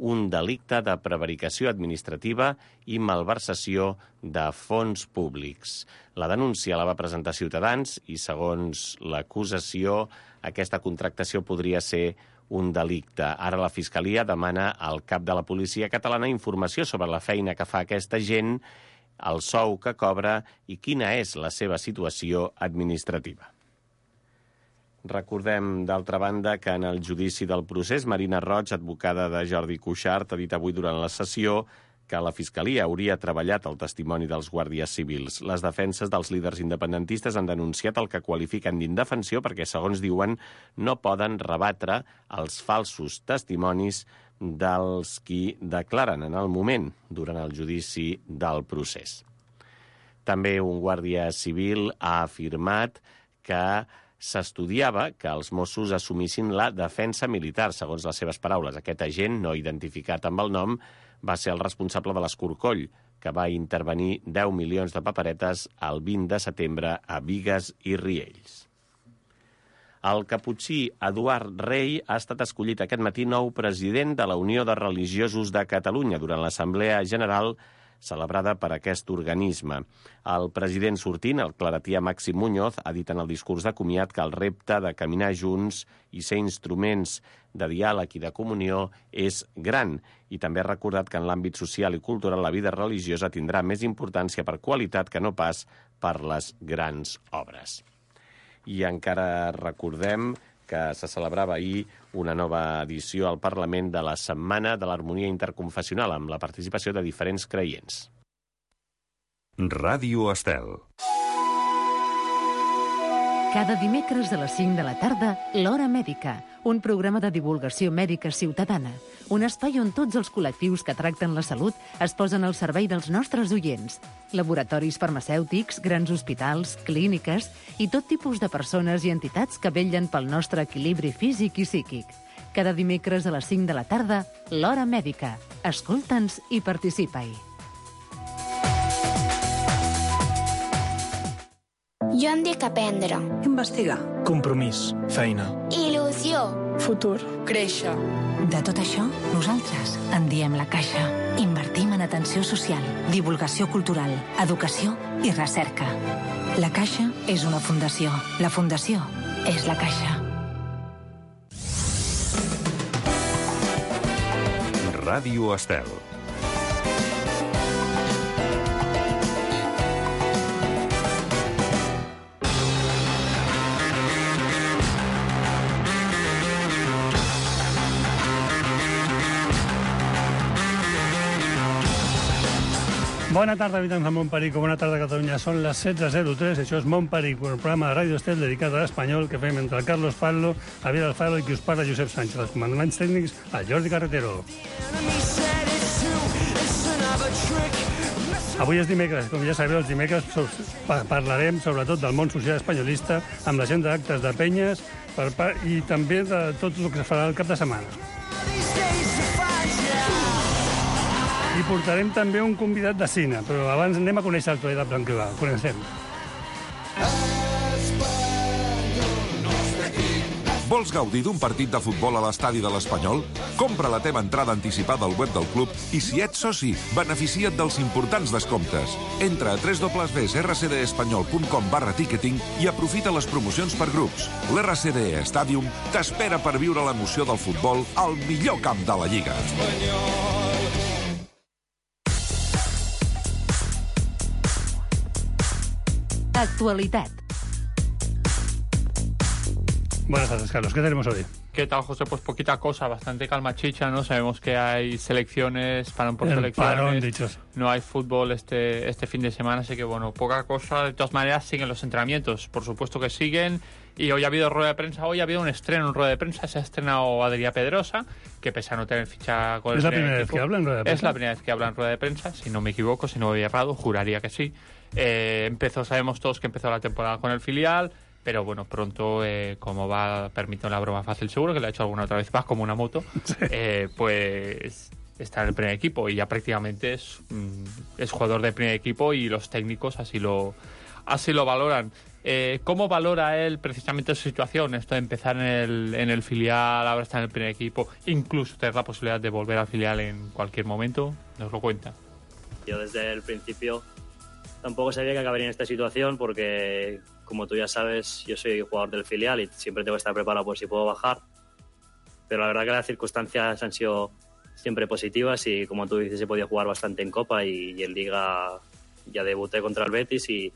un delicte de prevaricació administrativa i malversació de fons públics. La denúncia la va presentar Ciutadans i, segons l'acusació, aquesta contractació podria ser un delicte. Ara la Fiscalia demana al cap de la policia catalana informació sobre la feina que fa aquesta gent, el sou que cobra i quina és la seva situació administrativa. Recordem, d'altra banda, que en el judici del procés, Marina Roig, advocada de Jordi Cuixart, ha dit avui durant la sessió que la Fiscalia hauria treballat el testimoni dels guàrdies civils. Les defenses dels líders independentistes han denunciat el que qualifiquen d'indefensió perquè, segons diuen, no poden rebatre els falsos testimonis dels qui declaren en el moment durant el judici del procés. També un guàrdia civil ha afirmat que s'estudiava que els Mossos assumissin la defensa militar, segons les seves paraules. Aquest agent, no identificat amb el nom, va ser el responsable de l'Escorcoll, que va intervenir 10 milions de paperetes el 20 de setembre a Bigues i Riells. El caputxí Eduard Rey ha estat escollit aquest matí nou president de la Unió de Religiosos de Catalunya durant l'Assemblea General celebrada per aquest organisme. El president sortint, el claretià Màxim Muñoz, ha dit en el discurs de comiat que el repte de caminar junts i ser instruments de diàleg i de comunió és gran, i també ha recordat que en l'àmbit social i cultural la vida religiosa tindrà més importància per qualitat que no pas per les grans obres. I encara recordem que se celebrava ahir una nova edició al Parlament de la Setmana de l'Harmonia Interconfessional, amb la participació de diferents creients. Ràdio Estel. Cada dimecres a les 5 de la tarda, L'Hora Mèdica, un programa de divulgació mèdica ciutadana, un espai on tots els col·lectius que tracten la salut es posen al servei dels nostres oients. Laboratoris farmacèutics, grans hospitals, clíniques i tot tipus de persones i entitats que vetllen pel nostre equilibri físic i psíquic. Cada dimecres a les 5 de la tarda, L'Hora Mèdica. Escolta'ns i participa-hi. Jo em dic aprendre. Investigar. Compromís. Feina. Il·lusió. Futur. Créixer. De tot això, nosaltres en diem La Caixa. Invertim en atenció social, divulgació cultural, educació i recerca. La Caixa és una fundació. La fundació és La Caixa. Ràdio Estel. Bona tarda, habitants de Montperic, bona tarda, Catalunya. Són les 16:03, això és Montperic, un programa de Ràdio Estel dedicat a l'espanyol que fem entre el Carlos Fallo, Javier Alfaro i qui us parla, Josep Sánchez. Els comandaments tècnics, el Jordi Carretero. Avui és dimecres, com ja sabeu, els dimecres parlarem sobretot del món social espanyolista amb l'agenda d'actes de penyes i també de tot el que es farà el cap de setmana. I portarem també un convidat de cine, però abans anem a conèixer l'actualitat blanquilà. Coneixem. Vols gaudir d'un partit de futbol a l'estadi de l'Espanyol? Compra la teva entrada anticipada al web del club i, si ets soci, beneficia't dels importants descomptes. Entra a www.rcdespanyol.com/ticketing i aprofita les promocions per grups. L'RCD Stadium t'espera per viure l'emoció del futbol al millor camp de la Lliga. Actualitat. Buenas tardes, Carlos. ¿Qué tenemos hoy? ¿Qué tal, José? Pues poquita cosa, bastante calma chicha, ¿no? Sabemos que hay selecciones, parón por selecciones. Parón, dichos. No hay fútbol este fin de semana, así que, bueno, poca cosa. De todas maneras, siguen los entrenamientos, por supuesto que siguen. Y hoy ha habido rueda de prensa, hoy ha habido un estreno en rueda de prensa. Se ha estrenado Adrià Pedrosa, que pese a no tener ficha con ¿Es la primera vez que habla en rueda de prensa? Es la primera vez que habla en rueda de prensa, si no me equivoco, si no voy errado, juraría que sí. Sabemos todos que empezó la temporada con el filial, pero bueno, pronto, como va, permito la broma fácil, seguro que le ha hecho alguna otra vez más como una moto, sí. Pues está en el primer equipo y ya prácticamente es jugador de primer equipo y los técnicos así lo valoran. ¿Cómo valora él precisamente su situación? Esto de empezar en el filial, ahora está en el primer equipo, incluso tener la posibilidad de volver al filial en cualquier momento. Nos lo cuenta. Yo desde el principio tampoco sabía que acabaría en esta situación porque, como tú ya sabes, yo soy jugador del filial y siempre tengo que estar preparado por si puedo bajar. Pero la verdad que las circunstancias han sido siempre positivas y, como tú dices, he podido jugar bastante en Copa y en Liga ya debuté contra el Betis y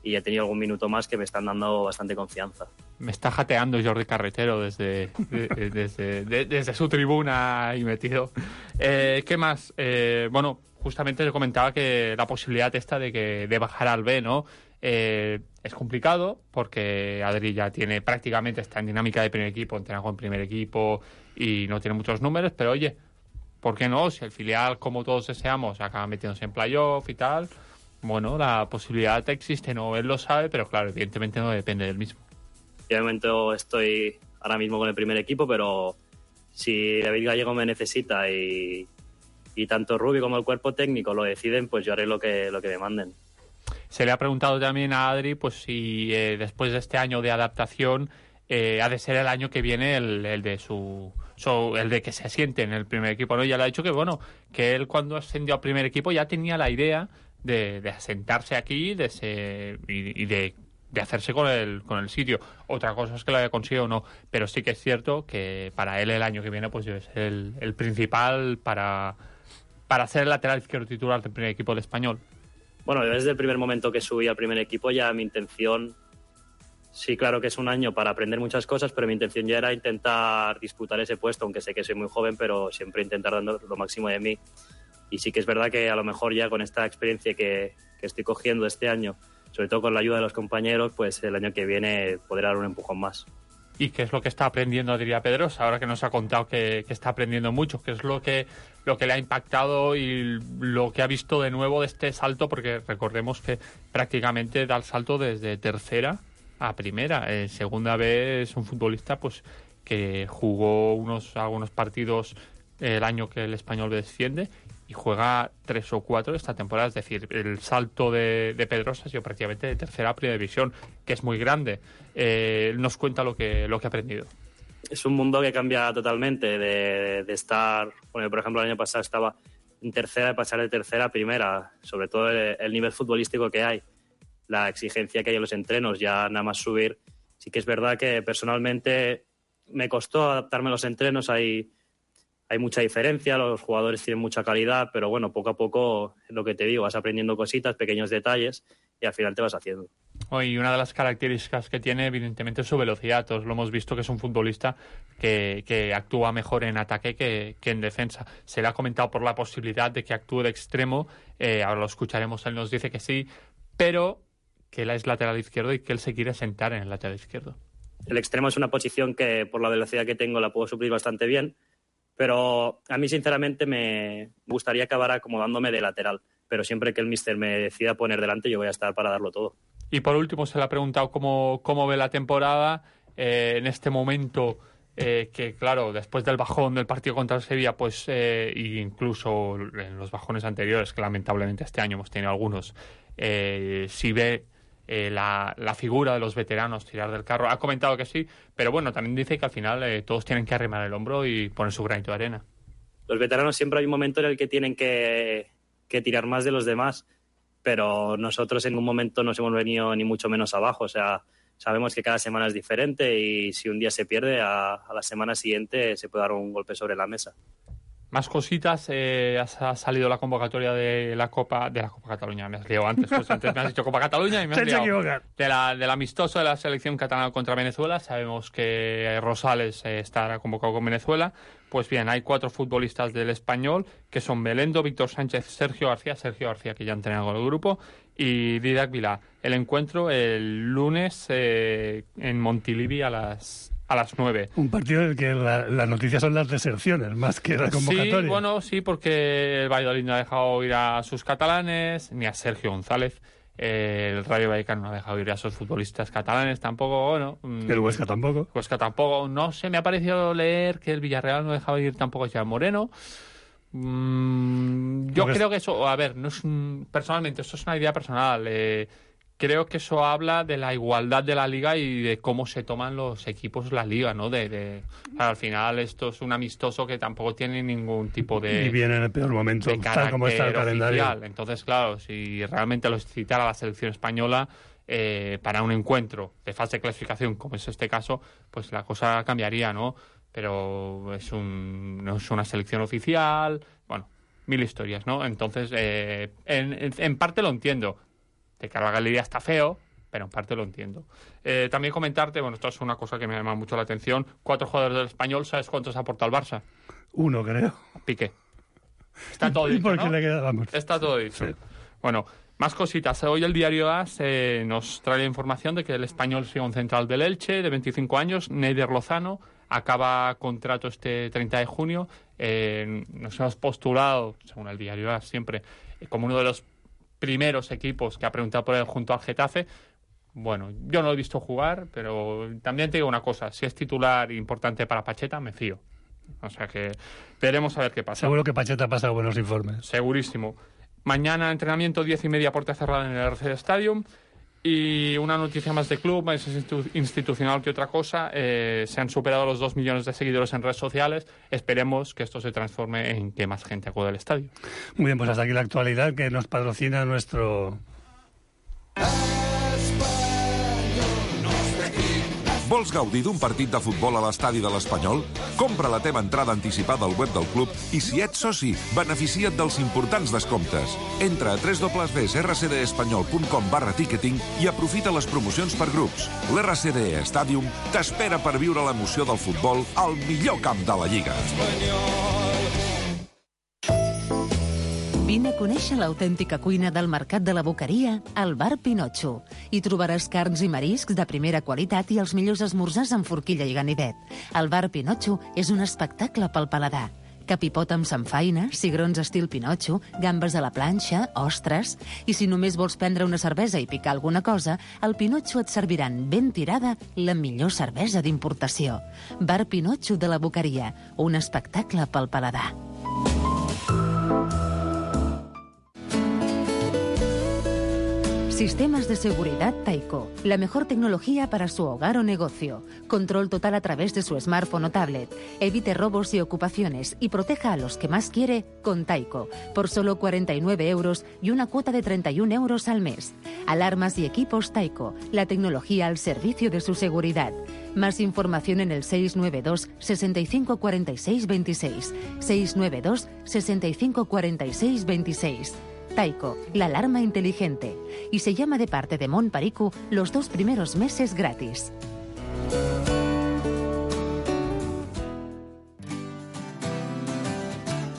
he tenido algún minuto más que me están dando bastante confianza. Me está jateando Jordi Carretero desde su tribuna ahí metido. ¿Qué más? Bueno, justamente le comentaba que la posibilidad esta de bajar al B, ¿no? Es complicado porque Adri ya tiene prácticamente, está en dinámica de primer equipo, entrena con primer equipo y no tiene muchos números, pero oye, ¿por qué no? Si el filial, como todos deseamos, acaba metiéndose en playoff y tal, bueno, la posibilidad existe, ¿no? Él lo sabe, pero claro, evidentemente no depende del mismo. Yo de momento estoy ahora mismo con el primer equipo, pero si David Gallego me necesita y tanto Rubi como el cuerpo técnico lo deciden, pues yo haré lo que me manden. Se le ha preguntado también a Adri pues si después de este año de adaptación ha de ser el año que viene el de que se asiente en el primer equipo, ¿no? Ya le ha dicho que bueno, que él cuando ascendió al primer equipo ya tenía la idea de asentarse aquí y de hacerse con el sitio. Otra cosa es que lo haya conseguido o no, pero sí que es cierto que para él el año que viene pues debe ser el principal para ser el lateral izquierdo titular del primer equipo del Español. Bueno, desde el primer momento que subí al primer equipo ya mi intención, sí, claro que es un año para aprender muchas cosas, pero mi intención ya era intentar disputar ese puesto, aunque sé que soy muy joven, pero siempre intentar dando lo máximo de mí. Y sí que es verdad que a lo mejor ya con esta experiencia que estoy cogiendo este año, sobre todo con la ayuda de los compañeros, pues el año que viene podré dar un empujón más. ¿Y qué es lo que está aprendiendo, diría Pedrosa, ahora que nos ha contado que está aprendiendo mucho? ¿Qué es lo que le ha impactado y lo que ha visto de nuevo de este salto? Porque recordemos que prácticamente da el salto desde tercera a primera. En segunda vez es un futbolista pues que jugó algunos partidos el año que el Español desciende y juega 3 o 4 esta temporada. Es decir, el salto de Pedrosa ha sido prácticamente de tercera a primera división, que es muy grande. Él nos cuenta lo que ha aprendido. Es un mundo que cambia totalmente de estar... Bueno, por ejemplo, el año pasado estaba en tercera y pasar de tercera a primera. Sobre todo el nivel futbolístico que hay, la exigencia que hay en los entrenos, ya nada más subir. Sí que es verdad que personalmente me costó adaptarme a los entrenos. Hay mucha diferencia, los jugadores tienen mucha calidad, pero bueno, poco a poco, es lo que te digo, vas aprendiendo cositas, pequeños detalles y al final te vas haciendo. Y una de las características que tiene, evidentemente, es su velocidad. Todos lo hemos visto que es un futbolista que actúa mejor en ataque que en defensa. Se le ha comentado por la posibilidad de que actúe de extremo, ahora lo escucharemos, él nos dice que sí, pero que él es lateral izquierdo y que él se quiere sentar en el lateral izquierdo. El extremo es una posición que por la velocidad que tengo la puedo suplir bastante bien, pero a mí sinceramente me gustaría acabar acomodándome de lateral, pero siempre que el míster me decida poner delante yo voy a estar para darlo todo. Y por último se le ha preguntado cómo ve la temporada en este momento, que claro, después del bajón del partido contra el Sevilla, pues incluso en los bajones anteriores, que lamentablemente este año hemos tenido algunos, si ve la figura de los veteranos tirar del carro. Ha comentado que sí, pero bueno, también dice que al final todos tienen que arrimar el hombro y poner su granito de arena. Los veteranos siempre hay un momento en el que tienen que tirar más de los demás, pero nosotros en un momento nos hemos venido ni mucho menos abajo. O sea, sabemos que cada semana es diferente y si un día se pierde, a la semana siguiente se puede dar un golpe sobre la mesa. Más cositas, ha salido la convocatoria de la Copa Cataluña. Me has liado antes, pues antes me has dicho Copa Cataluña y me has liado. Del amistoso de la selección catalana contra Venezuela. Sabemos que Rosales estará convocado con Venezuela. Pues bien, hay 4 futbolistas del Español, que son Belendo, Víctor Sánchez, Sergio García, que ya ha entrenado con el grupo, y Didac Vilá. El encuentro el lunes en Montilivi a las 9. Un partido en el que la noticia son las deserciones, más que la convocatoria. Sí, bueno, sí, porque el Valladolid no ha dejado ir a sus catalanes, ni a Sergio González. El Rayo Vallecano no ha dejado ir a sus futbolistas catalanes tampoco, bueno. El Huesca tampoco. No sé, me ha parecido leer que el Villarreal no dejaba ir tampoco a Jean Moreno. Yo creo que eso, a ver, no es personalmente, esto es una idea personal, que creo que eso habla de la igualdad de la liga y de cómo se toman los equipos la liga, ¿no? Al final esto es un amistoso que tampoco tiene ningún tipo de... Y viene en el peor momento, tal como está el calendario. Oficial. Entonces, claro, si realmente lo citara la selección española para un encuentro de fase de clasificación, como es este caso, pues la cosa cambiaría, ¿no? Pero no es una selección oficial, bueno, mil historias, ¿no? Entonces, en parte lo entiendo. De cara a la galería está feo, pero en parte lo entiendo. También comentarte, bueno, esto es una cosa que me llama mucho la atención, 4 jugadores del Español, ¿sabes cuántos aporta al Barça? 1, creo. Piqué. Está todo dicho, porque ¿no? le queda, vamos. Está todo dicho. Sí. Bueno, más cositas. Hoy el diario AS nos trae la información de que el Español sigue un central del Elche, de 25 años, Neider Lozano, acaba contrato este 30 de junio. Nos hemos postulado, según el diario AS siempre, como uno de los primeros equipos que ha preguntado por él junto al Getafe. Bueno, yo no lo he visto jugar, pero también te digo una cosa, si es titular importante para Pacheta, me fío. O sea que veremos a ver qué pasa. Seguro que Pacheta ha pasado buenos informes. Segurísimo. Mañana entrenamiento 10:30, puerta cerrada en el RC Stadium. Y una noticia más de club, más institucional que otra cosa. Se han superado los 2 millones de seguidores en redes sociales. Esperemos que esto se transforme en que más gente acude al estadio. Muy bien, pues hasta aquí la actualidad que nos patrocina nuestro... Vols gaudir d'un partit de futbol a l'estadi de l'Espanyol? Compra la teva entrada anticipada al web del club i, si ets soci, beneficia't dels importants descomptes. Entra a www.rcdespanyol.com/ticketing i aprofita les promocions per grups. L'RCD Stadium t'espera per viure l'emoció del futbol al millor camp de la Lliga. Vine a conèixer l'autèntica cuina del Mercat de la Boqueria al Bar Pinotxo. Hi trobaràs carns i mariscs de primera qualitat i els millors esmorzars amb forquilla i ganivet. El Bar Pinotxo és un espectacle pel paladar. Capipot amb samfaina, cigrons estil Pinotxo, gambes a la planxa, ostres... I si només vols prendre una cervesa i picar alguna cosa, al Pinotxo et serviran ben tirada la millor cervesa d'importació. Bar Pinotxo de la Boqueria, un espectacle pel paladar. Sistemas de seguridad Taiko. La mejor tecnología para su hogar o negocio. Control total a través de su smartphone o tablet. Evite robos y ocupaciones y proteja a los que más quiere con Taiko. Por solo 49 euros y una cuota de 31 euros al mes. Alarmas y equipos Taiko. La tecnología al servicio de su seguridad. Más información en el 692 65 46 26. 692 65 46 26. Taiko, la alarma inteligente. Y se llama de parte de Mon Perico los 2 primeros meses gratis.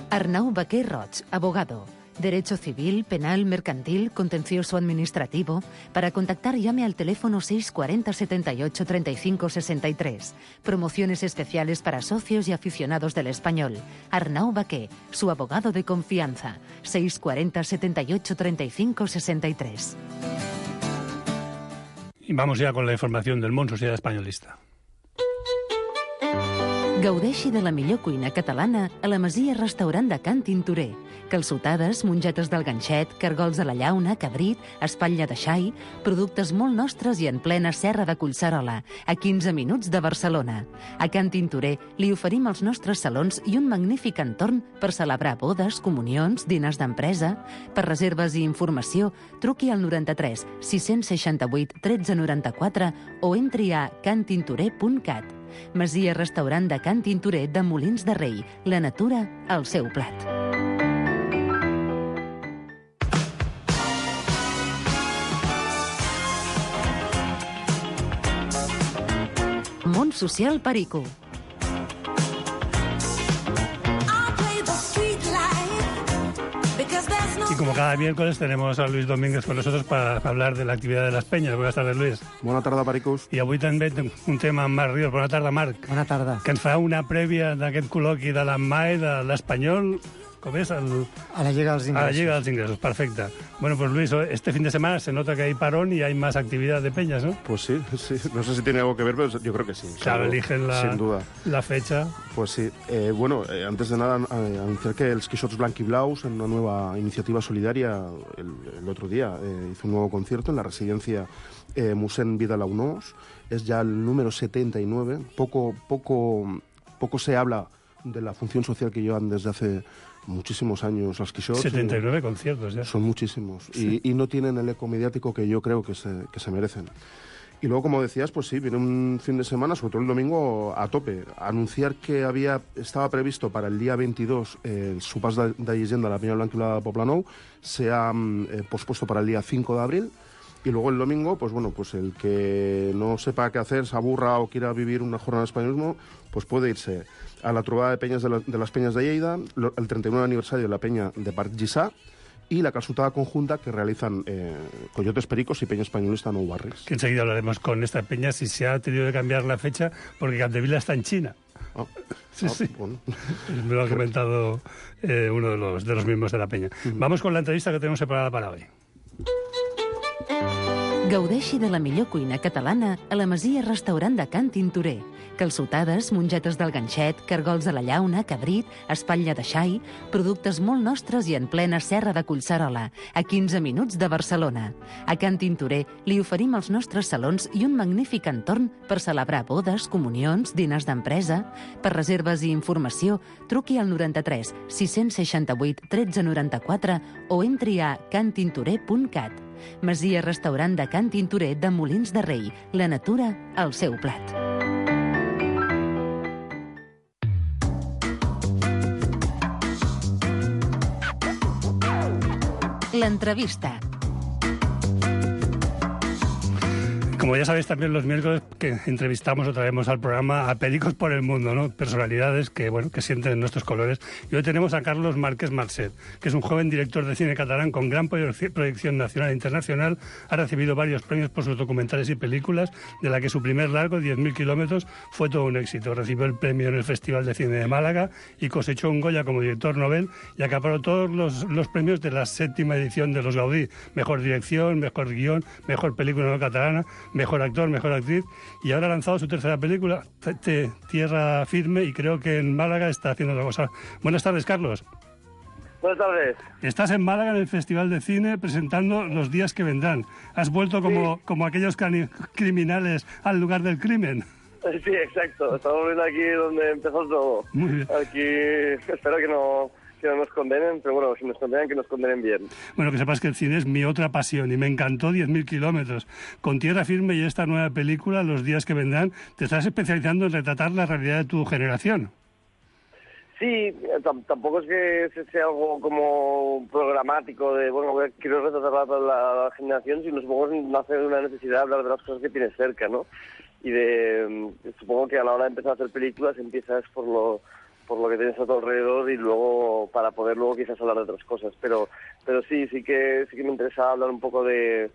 Arnau Baquer Roig, abogado. Derecho civil, penal, mercantil, contencioso administrativo. Para contactar llame al teléfono 640 78 35 63. Promociones especiales para socios y aficionados del Español. Arnau Baquer, su abogado de confianza. 640 78 35 63. Y vamos ya con la información del món Sociedad Espanyolista. Gaudeixi de la millor cuina catalana a la Masia Restaurant de Can Tintorer. Calçotades, mongetes del ganxet, cargols de la llauna, cabrit, espatlla de xai, productes molt nostres i en plena serra de Collserola, a 15 minuts de Barcelona. A Can Tintorer li oferim els nostres salons i un magnífic entorn per celebrar bodes, comunions, diners d'empresa. Per reserves i informació, truqui al 93 668 1394 o entri a cantintorer.cat. Masia Restaurant de Can Tintorer de Molins de Rei. La natura al seu plat. Món Social Perico. Y como cada miércoles tenemos a Luis Domínguez con nosotros para hablar de la actividad de las peñas. Buenas tardes, Luis. Bona tarda, Pericos. I avui també un tema amb Marc Ríos. Bona tarda, Marc. Bona tarda. Que ens farà una prèvia d'aquest col·loqui de l'AMMAE, de l'Espanyol. com és? A la llegada dels ingressos. A la llegada dels ingressos, perfecte. Bueno, pues Luis, este fin de semana se nota que hay parón y hay más actividad de peñas, ¿no? Pues sí. No sé si tiene algo que ver, pero yo creo que sí. Claro, eligen sin duda. La fecha. Pues sí. Antes de nada, anunciar que els Quixots Blanc i Blaus, en una nueva iniciativa solidaria, el otro día hizo un nuevo concierto en la residencia Musén Vidal Aunós. Es ya el número 79. Poco se habla de la función social que llevan desde hace muchísimos años los Quixots. 79 conciertos ya. Son muchísimos. Sí. Y no tienen el eco mediático que yo creo que se merecen. Y luego, como decías, pues sí, viene un fin de semana, sobre todo el domingo, a tope. Anunciar que estaba previsto para el día 22 el Sopars de Llegenda de la Peña Blanca y la Poblenou, se ha pospuesto para el día 5 de abril. Y luego el domingo, pues bueno, pues el que no sepa qué hacer, se aburra o quiera vivir una jornada de españolismo, pues puede irse a la trobada de peñas de las Peñas de Lleida, el 39 aniversario de la Peña de Parc Lliçà y la calçotada conjunta que realizan Coyotes Pericos y Peña Españolista Nou Barris. Que enseguida hablaremos con esta peña si se ha tenido que cambiar la fecha porque Capdevila está en China. Sí. Bueno. Me lo ha comentado uno de los miembros de la peña. Vamos con la entrevista que tenemos preparada para hoy. Gaudeixi de la millor cuina catalana a la Masia Restaurant de Can Tintorer. Calçotades, mongetes del ganxet, cargols de la llauna, cabrit, espatlla de xai, productes molt nostres i en plena serra de Collserola, a 15 minuts de Barcelona. A Can Tintorer li oferim els nostres salons i un magnífic entorn per celebrar bodes, comunions, dinars d'empresa. Per reserves i informació, truqui al 93 668 1394 o entri a cantintorer.cat. Masia Restaurant de Can Tintorer de Molins de Rei. La natura al seu plat. L'entrevista. Como ya sabéis, también los miércoles que entrevistamos o traemos al programa a pericos por el mundo, ¿no? Personalidades que sienten nuestros colores. Y hoy tenemos a Carlos Márquez Marcet, que es un joven director de cine catalán con gran proyección nacional e internacional. Ha recibido varios premios por sus documentales y películas, de la que su primer largo, 10.000 kilómetros, fue todo un éxito. Recibió el premio en el Festival de Cine de Málaga y cosechó un Goya como director novel y acaparó todos los premios de la 7ª edición de los Gaudí. Mejor dirección, mejor guión, mejor película no catalana, mejor actor, mejor actriz, y ahora ha lanzado su tercera película, Tierra Firme, y creo que en Málaga está haciendo otra cosa. Buenas tardes, Carlos. Buenas tardes. Estás en Málaga en el Festival de Cine presentando Los días que vendrán. Has vuelto como aquellos criminales al lugar del crimen. Sí, exacto. Estamos viendo aquí donde empezó todo. Muy bien. Aquí espero que no nos condenen, pero bueno, si nos condenan, que nos condenen bien. Bueno, que sepas que el cine es mi otra pasión y me encantó 10.000 kilómetros. Con Tierra Firme y esta nueva película, Los días que vendrán, te estás especializando en retratar la realidad de tu generación. Sí, tampoco es que sea algo como programático de, bueno, quiero retratar la generación, sino supongo que nace de una necesidad de hablar de las cosas que tienes cerca, ¿no? Y supongo que a la hora de empezar a hacer películas empiezas por lo que tienes a tu alrededor y luego para poder luego quizás hablar de otras cosas, pero sí que me interesa hablar un poco de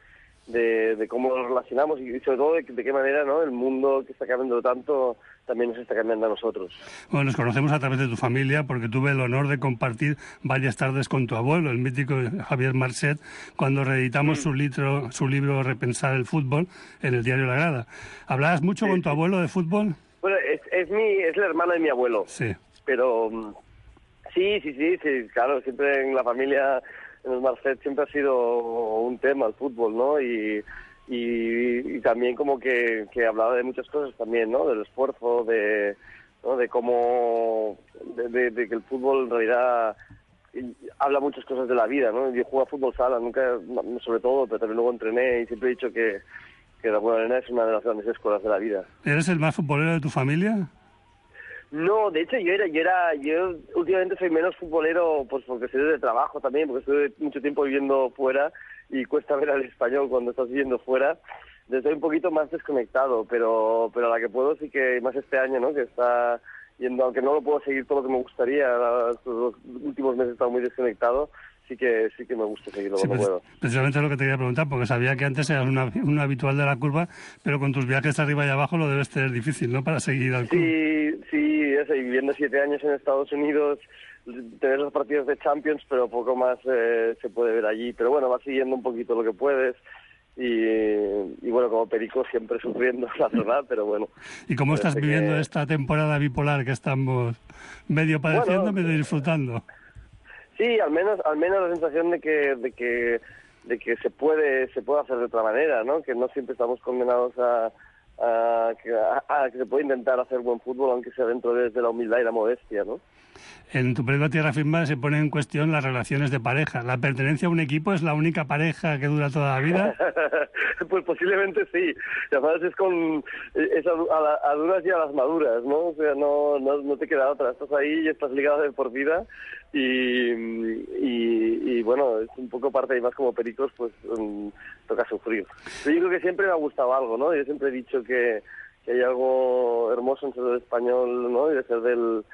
cómo nos relacionamos y sobre todo de qué manera, ¿no?, el mundo que está cambiando tanto también nos está cambiando a nosotros. Bueno, nos conocemos a través de tu familia porque tuve el honor de compartir varias tardes con tu abuelo, el mítico Javier Marcet, cuando reeditamos su libro Repensar el fútbol en el diario La Grada. ¿Hablabas mucho con tu abuelo de fútbol? Bueno, es el hermano de mi abuelo. Sí. Pero sí, claro, siempre en la familia, en los Marcet, siempre ha sido un tema el fútbol, ¿no? Y también como que hablaba de muchas cosas también, ¿no? Del esfuerzo, ¿no?, de cómo de que el fútbol en realidad habla muchas cosas de la vida, ¿no? Yo juego a fútbol sala, nunca, sobre todo, pero también luego entrené y siempre he dicho que de alguna manera es una de las grandes escuelas de la vida. ¿Eres el más futbolero de tu familia? No, de hecho yo últimamente soy menos futbolero, pues porque estoy de trabajo también, porque estuve mucho tiempo viviendo fuera y cuesta ver al español cuando estás viviendo fuera. Estoy un poquito más desconectado, pero a la que puedo sí que más este año, ¿no?, que está yendo, aunque no lo puedo seguir todo lo que me gustaría, los últimos meses he estado muy desconectado. Sí que me gusta seguirlo cuando puedo. Precisamente lo que te quería preguntar, porque sabía que antes eras un habitual de la curva, pero con tus viajes arriba y abajo lo debes tener difícil, ¿no?, para seguir al club. Sí, eso, y viviendo 7 años en Estados Unidos, tener los partidos de Champions, pero poco más se puede ver allí. Pero bueno, vas siguiendo un poquito lo que puedes. Y bueno, como perico siempre sufriendo, la verdad, pero bueno. ¿Y cómo estás viviendo esta temporada bipolar que estamos medio padeciendo, medio disfrutando? Sí, al menos la sensación de que se puede hacer de otra manera, ¿no? Que no siempre estamos condenados a que se puede intentar hacer buen fútbol, aunque sea dentro de la humildad y la modestia, ¿no? En tu película Tierra Firme se pone en cuestión las relaciones de pareja. ¿La pertenencia a un equipo es la única pareja que dura toda la vida? Pues posiblemente sí. Y además es a duras y a las maduras, ¿no? O sea, no te queda otra. Estás ahí y estás ligado de por vida y bueno, es un poco parte y más como pericos, pues toca sufrir. Pero yo creo que siempre me ha gustado algo, ¿no? Yo siempre he dicho que hay algo hermoso en ser del español, ¿no? Y de ser del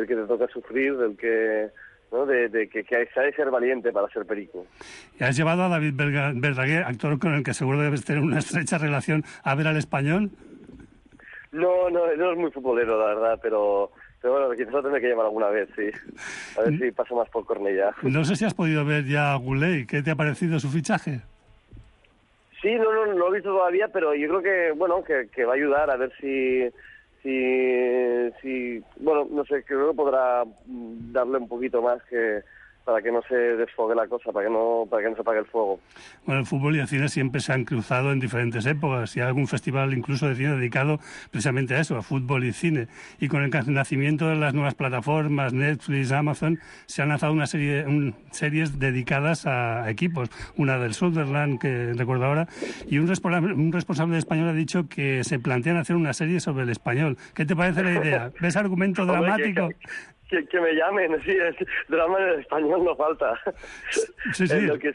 que te toca sufrir, del que, ¿no? de que se ha de ser valiente para ser perico. ¿Y has llevado a David Verdaguer, actor con el que seguro debes tener una estrecha relación, a ver al Español? No es muy futbolero, la verdad, pero bueno, quizás lo tendré que llevar alguna vez, sí. A ver si paso más por Cornellá. No sé si has podido ver ya a Goulet. ¿Qué te ha parecido su fichaje? Sí, no lo he visto todavía, pero yo creo que, bueno, que va a ayudar a ver si bueno, no sé, creo que podrá darle un poquito más para que no se desfogue la cosa, para que no se apague el fuego. Bueno, el fútbol y el cine siempre se han cruzado en diferentes épocas y hay algún festival incluso de cine dedicado precisamente a eso, a fútbol y cine. Y con el nacimiento de las nuevas plataformas, Netflix, Amazon, se han lanzado series dedicadas a equipos. Una del Sunderland, que recuerdo ahora, y un responsable de Español ha dicho que se plantean hacer una serie sobre el Español. ¿Qué te parece la idea? ¿Ves argumento dramático? Que me llamen, sí, drama en el español no falta. Sí. Lo que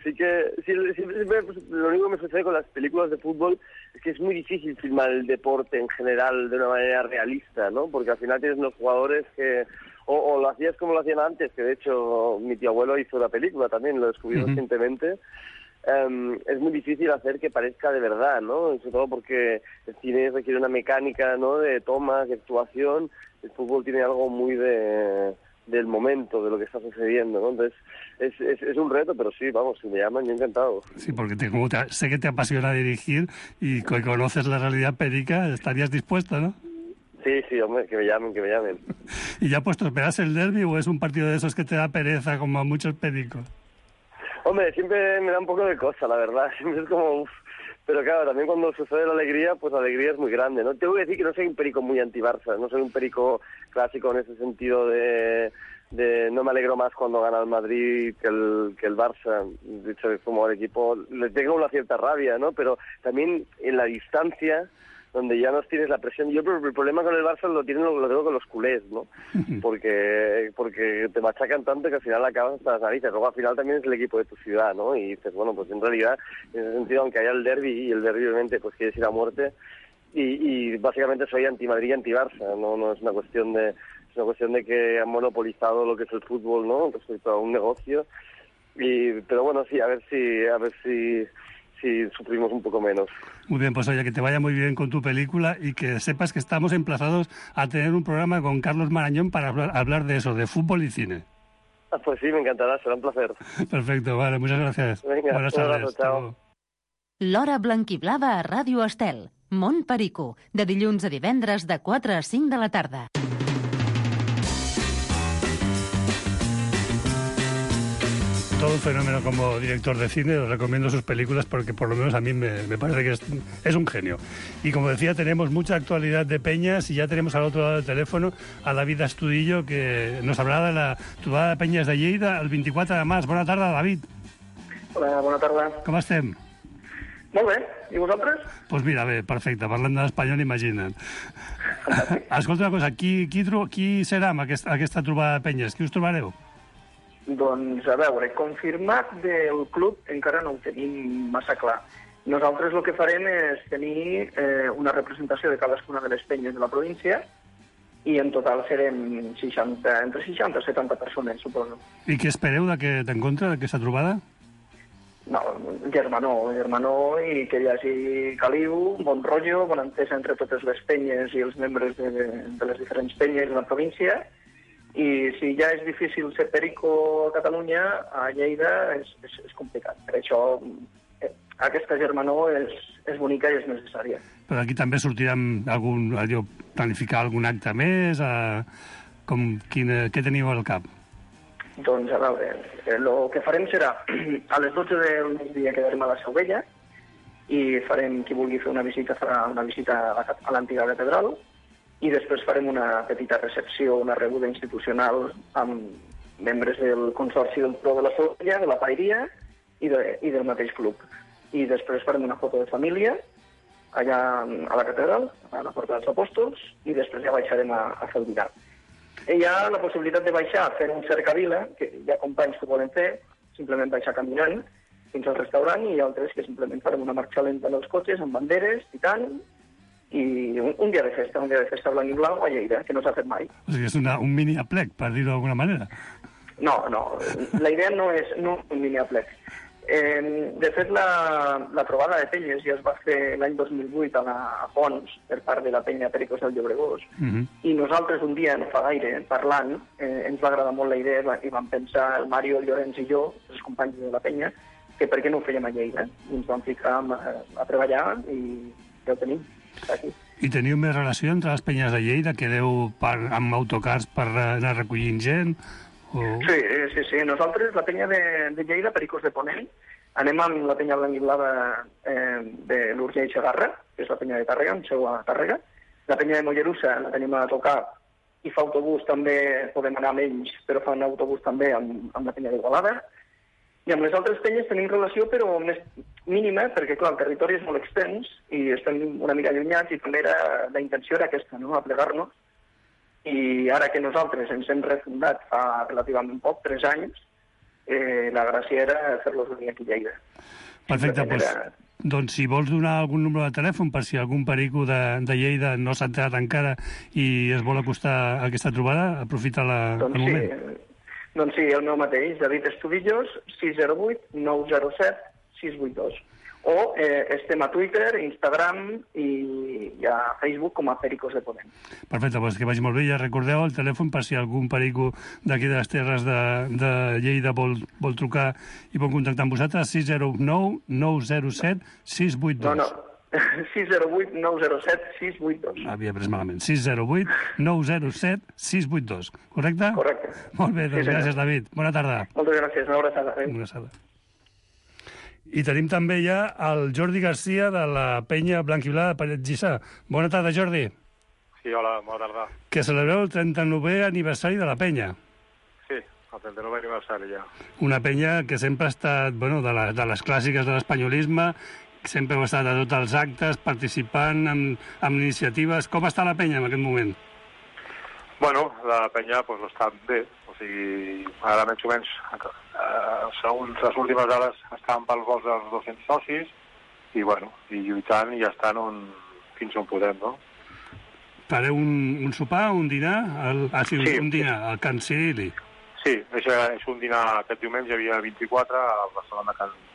lo único que me sucede con las películas de fútbol es que es muy difícil filmar el deporte en general de una manera realista, ¿no? Porque al final tienes unos jugadores que o lo hacías como lo hacían antes, que de hecho mi tío abuelo hizo la película también, lo descubrí recientemente. Es muy difícil hacer que parezca de verdad, ¿no? Sobre todo porque el cine requiere una mecánica, ¿no? De tomas, de actuación. El fútbol tiene algo muy del momento, de lo que está sucediendo, ¿no? Entonces, es un reto, pero sí, vamos, si me llaman, yo encantado. Sí, porque sé que te apasiona dirigir y que conoces la realidad perica, estarías dispuesto, ¿no? Sí, hombre, que me llamen. ¿Y ya puesto, esperas el derbi o es un partido de esos que te da pereza como a muchos pericos? Hombre, siempre me da un poco de cosa, la verdad. Siempre es como, pero claro, también cuando sucede la alegría, pues la alegría es muy grande, ¿no? Tengo que decir que no soy un perico muy anti-Barça, no soy un perico clásico en ese sentido de no me alegro más cuando gana el Madrid que el Barça. De hecho, como al equipo le tengo una cierta rabia, ¿no? Pero también en la distancia, donde ya no tienes la presión. Yo el problema con el Barça lo tengo con los culés, ¿no? Porque te machacan tanto que al final acabas hasta las narices. Luego al final también es el equipo de tu ciudad, ¿no? Y dices, bueno, pues en realidad, en ese sentido, aunque haya el derbi, y el derbi obviamente pues quieres ir a muerte, y básicamente soy anti-Madrid y anti-Barça, no es una cuestión de... Es una cuestión de que han monopolizado lo que es el fútbol, ¿no? Respecto a un negocio. Pero bueno, sí, a ver si sufrimos un poco menos. Muy bien, pues oye, que te vaya muy bien con tu película y que sepas que estamos emplazados a tener un programa con Carlos Marañón para hablar de eso, de fútbol y cine. Pues sí, me encantará, será un placer. Perfecto, vale, muchas gracias. Venga, buenas tardes. Chao. L'Hora Blanquiblava a Ràdio Estel. Mont Perico, de dilluns a divendres de 4 a 5 de la tarda. Todo un fenómeno como director de cine, os recomiendo sus películas porque por lo menos a mí me parece que es un genio. Y como decía, tenemos mucha actualidad de Peñas y ya tenemos al otro lado del teléfono a David Astudillo, que nos hablarà de la trobada de Peñas de Lleida el 24 de març. Bona tarda, David. Hola, bona tarda. Com estem? Molt bé, i vosaltres? Doncs pues mira, bé, perfecte, parlant de l'espanyol, imagina't. Escolta una cosa, qui serà amb aquesta trobada de Penyes? Qui us trobareu? Doncs, a veure, confirmat del club encara no ho tenim massa clar. Nosaltres el que farem és tenir una representació de cadascuna de les penyes de la província i en total serem entre 60 i 70 persones, suposo. I què espereu d'aquest encontre, d'aquesta trobada? No, germanor i que hi hagi caliu, bon rotllo, bona entesa entre totes les penyes i els membres de les diferents penyes de la província I si ja és difícil ser perico a Catalunya, a Lleida és complicat. Per això aquesta germanor és bonica i és necessària. Però aquí també sortirem planificar algun acte més? Què teniu al cap? Doncs, a veure, el que farem serà a les 12 del migdia quedarem a la Seu Vella i farem, qui vulgui fer una visita, farà una visita a l'antiga catedral i després farem una petita recepció, una rebuda institucional amb membres del Consorci del Pro de la Seu Vella, de la Paeria i del mateix club. I després farem una foto de família allà a la catedral, a la Porta dels Apòstols, i després ja baixarem a fer el dinar. Hi ha la possibilitat de baixar, fer un cercavila, que hi ha companys que volen fer, simplement baixar caminant fins al restaurant, i altres que simplement farem una marxa lenta en els cotxes, amb banderes, i tant, i un dia de festa blanc i blau a Lleida, que no s'ha fet mai. O sigui, és un mini aplec, per dir-ho d'alguna manera. No, la idea no és un mini aplec. De fet, la trobada de penyes ja es va fer l'any 2008 a Pons per part de la penya Pericos del Llobregós, i nosaltres un dia, no fa gaire, parlant, ens va agradar molt la idea i vam pensar, el Mario, el Llorenç i jo, els companys de la penya, que per què no ho fèiem a Lleida. I ens vam ficar a treballar i ja ho tenim, està aquí. I teniu més relació entre les penyes de Lleida, que deu amb autocars per anar recollint gent? Sí. Nosaltres, la penya de Lleida, Pericos de Ponent, anem amb la penya blanc i blava de l'Urgell i Segarra, que és la penya de Tàrrega, amb seu a Tàrrega. La penya de Mollerussa la tenim a tocar i fa autobús també, podem anar amb ells, però fan autobús també amb la penya d'Igualada. I amb les altres penyes tenim relació, però més mínima, perquè, clar, el territori és molt extens i estem una mica allunyats i també la intenció era aquesta, no?, aplegar-nos. I ara que nosaltres ens hem refundat fa relativament poc, 3 anys, la gràcia era fer-los venir aquí a Lleida. Perfecte, doncs si vols donar algun número de telèfon per si algun perico de Lleida no s'ha enterat encara i es vol acostar a aquesta trobada, aprofita el moment. Doncs sí, el meu mateix, David Estudillos, 608 907 682. O estem a Twitter, Instagram i a Facebook com a Pericos de Ponent. Perfecte, doncs que vagi molt bé. Ja recordeu el telèfon per si algun perico d'aquí de les terres de Lleida vol trucar i vol contactar amb vosaltres, 609 907 682. No, 608 907 682. Havia pres malament. 608 907 682. Correcte? Correcte. Molt bé, doncs gràcies, David. Bona tarda. Moltes gràcies. Una abraçada. Una abraçada. I tenim també ja el Jordi Garcia de la penya blanc-i-blava de Paret Gissà. Bona tarda, Jordi. Sí, hola, bona tarda. Que celebreu el 39è aniversari de la penya. Sí, el 39è aniversari ja. Una penya que sempre ha estat, de les clàssiques de l'espanyolisme, sempre heu estat a tots els actes, participant en iniciatives. Com està la penya en aquest moment? Bueno, la penya està bé. O sigui, ara més o menys, segons les últimes dades, estan pel volts dels 200 socis i lluitant i ja estan fins on podem, no? Fareu un sopar, un dinar? Sí, un dinar, al Can Cirili. Sí, és un dinar aquest diumenge, hi havia 24, al restaurant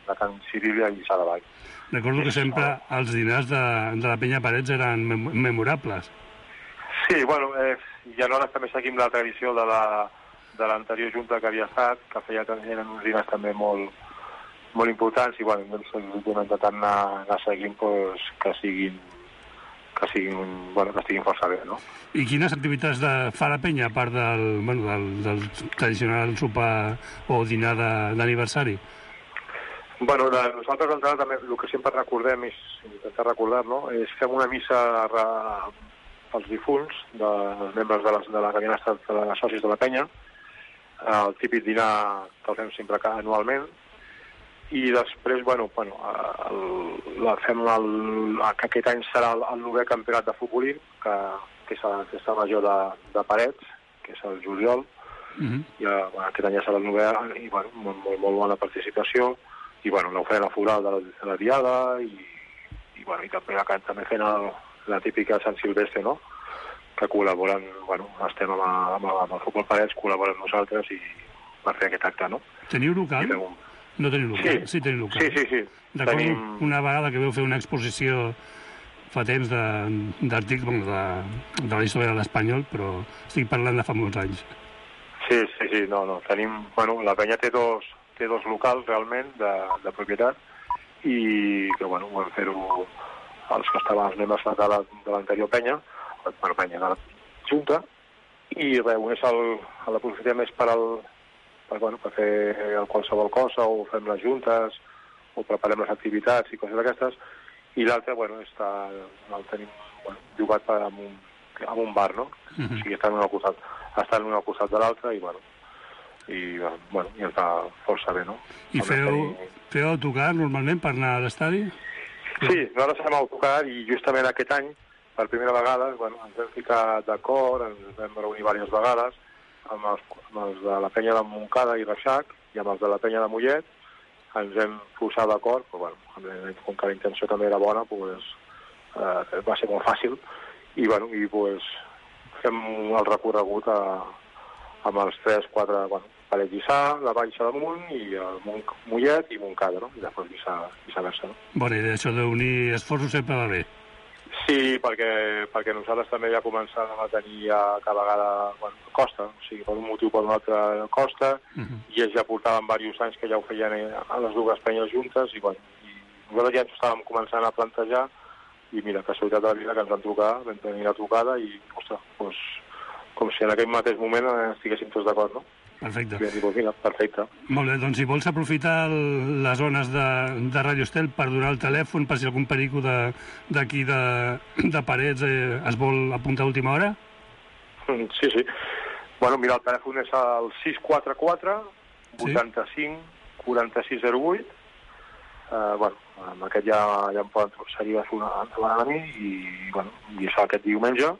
de Can Cirili a Lliçà de Vall. Recordo que sempre els dinars de la penya Parets eren memorables. Sí, i alhora també seguim la tradició de l'anterior junta que havia estat, que eren uns dinars també molt importants i hem intentat anar seguint que estiguin força bé, no? I quines activitats fa la penya, a part del tradicional sopar o dinar d'aniversari? Nosaltres d'entrada també el que sempre recordem és intentar recordar, no? És fem una missa als difunts dels membres de la que havien estat de socis de la penya, el típic dinar que el fem sempre anualment, i després, fem que aquest any serà el 9è campionat de futbolí, que és a la festa major de Parets, que és el juliol, i aquest any ja serà el 9è, i molt bona participació, i l'oferta floral de la diada, i també fent la típica Sant Silvestre, no?, que col·laboren, estem amb el Futbol Parets, col·laboren nosaltres i per fer aquest acte, no? Teniu local? No teniu local? Sí, teniu local. Sí. Recordo una vegada que vau fer una exposició fa temps d'articles de la història de l'espanyol, però estic parlant de fa molts anys. Sí, no. Tenim, bueno, la penya té dos locals realment de propietat i que, bueno, vam fer-ho els que estaven els membres de l'anterior penya, de la Junta, i res, l'aprofitem més per fer qualsevol cosa, o fem les juntes, o preparem les activitats i coses d'aquestes, i l'altre, bueno, el tenim llogat amb un bar, no? O sigui, està en un al costat de l'altre, i ens va força bé, no? I feu autocar normalment per anar a l'estadi? Sí, nosaltres fem autocar, i justament aquest any, per primera vegada, ens vam ficar d'acord, ens vam reunir diverses vegades amb els de la penya de Montcada i Reixac i amb els de la penya de Mollet. Ens vam posar d'acord, però com que la intenció també era bona, va ser molt fàcil, i fem el recorregut amb els 3-4 Parets Lliçà, la Baixa d'Amunt, i el Mollet i Montcada, no? I després viceversa, no? Bona idea, això d'unir esforços sempre va bé. Sí, perquè nosaltres també ja començàvem a tenir cada vegada costa, o sigui, per un motiu o per un altre costa, i ells ja portaven diversos anys que ja ho feien a les dues penyes juntes, i nosaltres ja ens estàvem començant a plantejar, i mira, casualitat de la vida que ens van trucar, vam tenir la trucada, i, ostres, com si en aquell mateix moment estiguéssim tots d'acord, no? Perfecte. Perfecte. Molt bé, doncs si vols aprofitar les zones de Ràdio Estel per donar el telèfon, per si algun perico d'aquí de Parets es vol apuntar a última hora? Sí. Bueno, mira, el telèfon és el 644 85 4608. Amb aquest ja em poden seguir endavant a mi, i és aquest diumenge,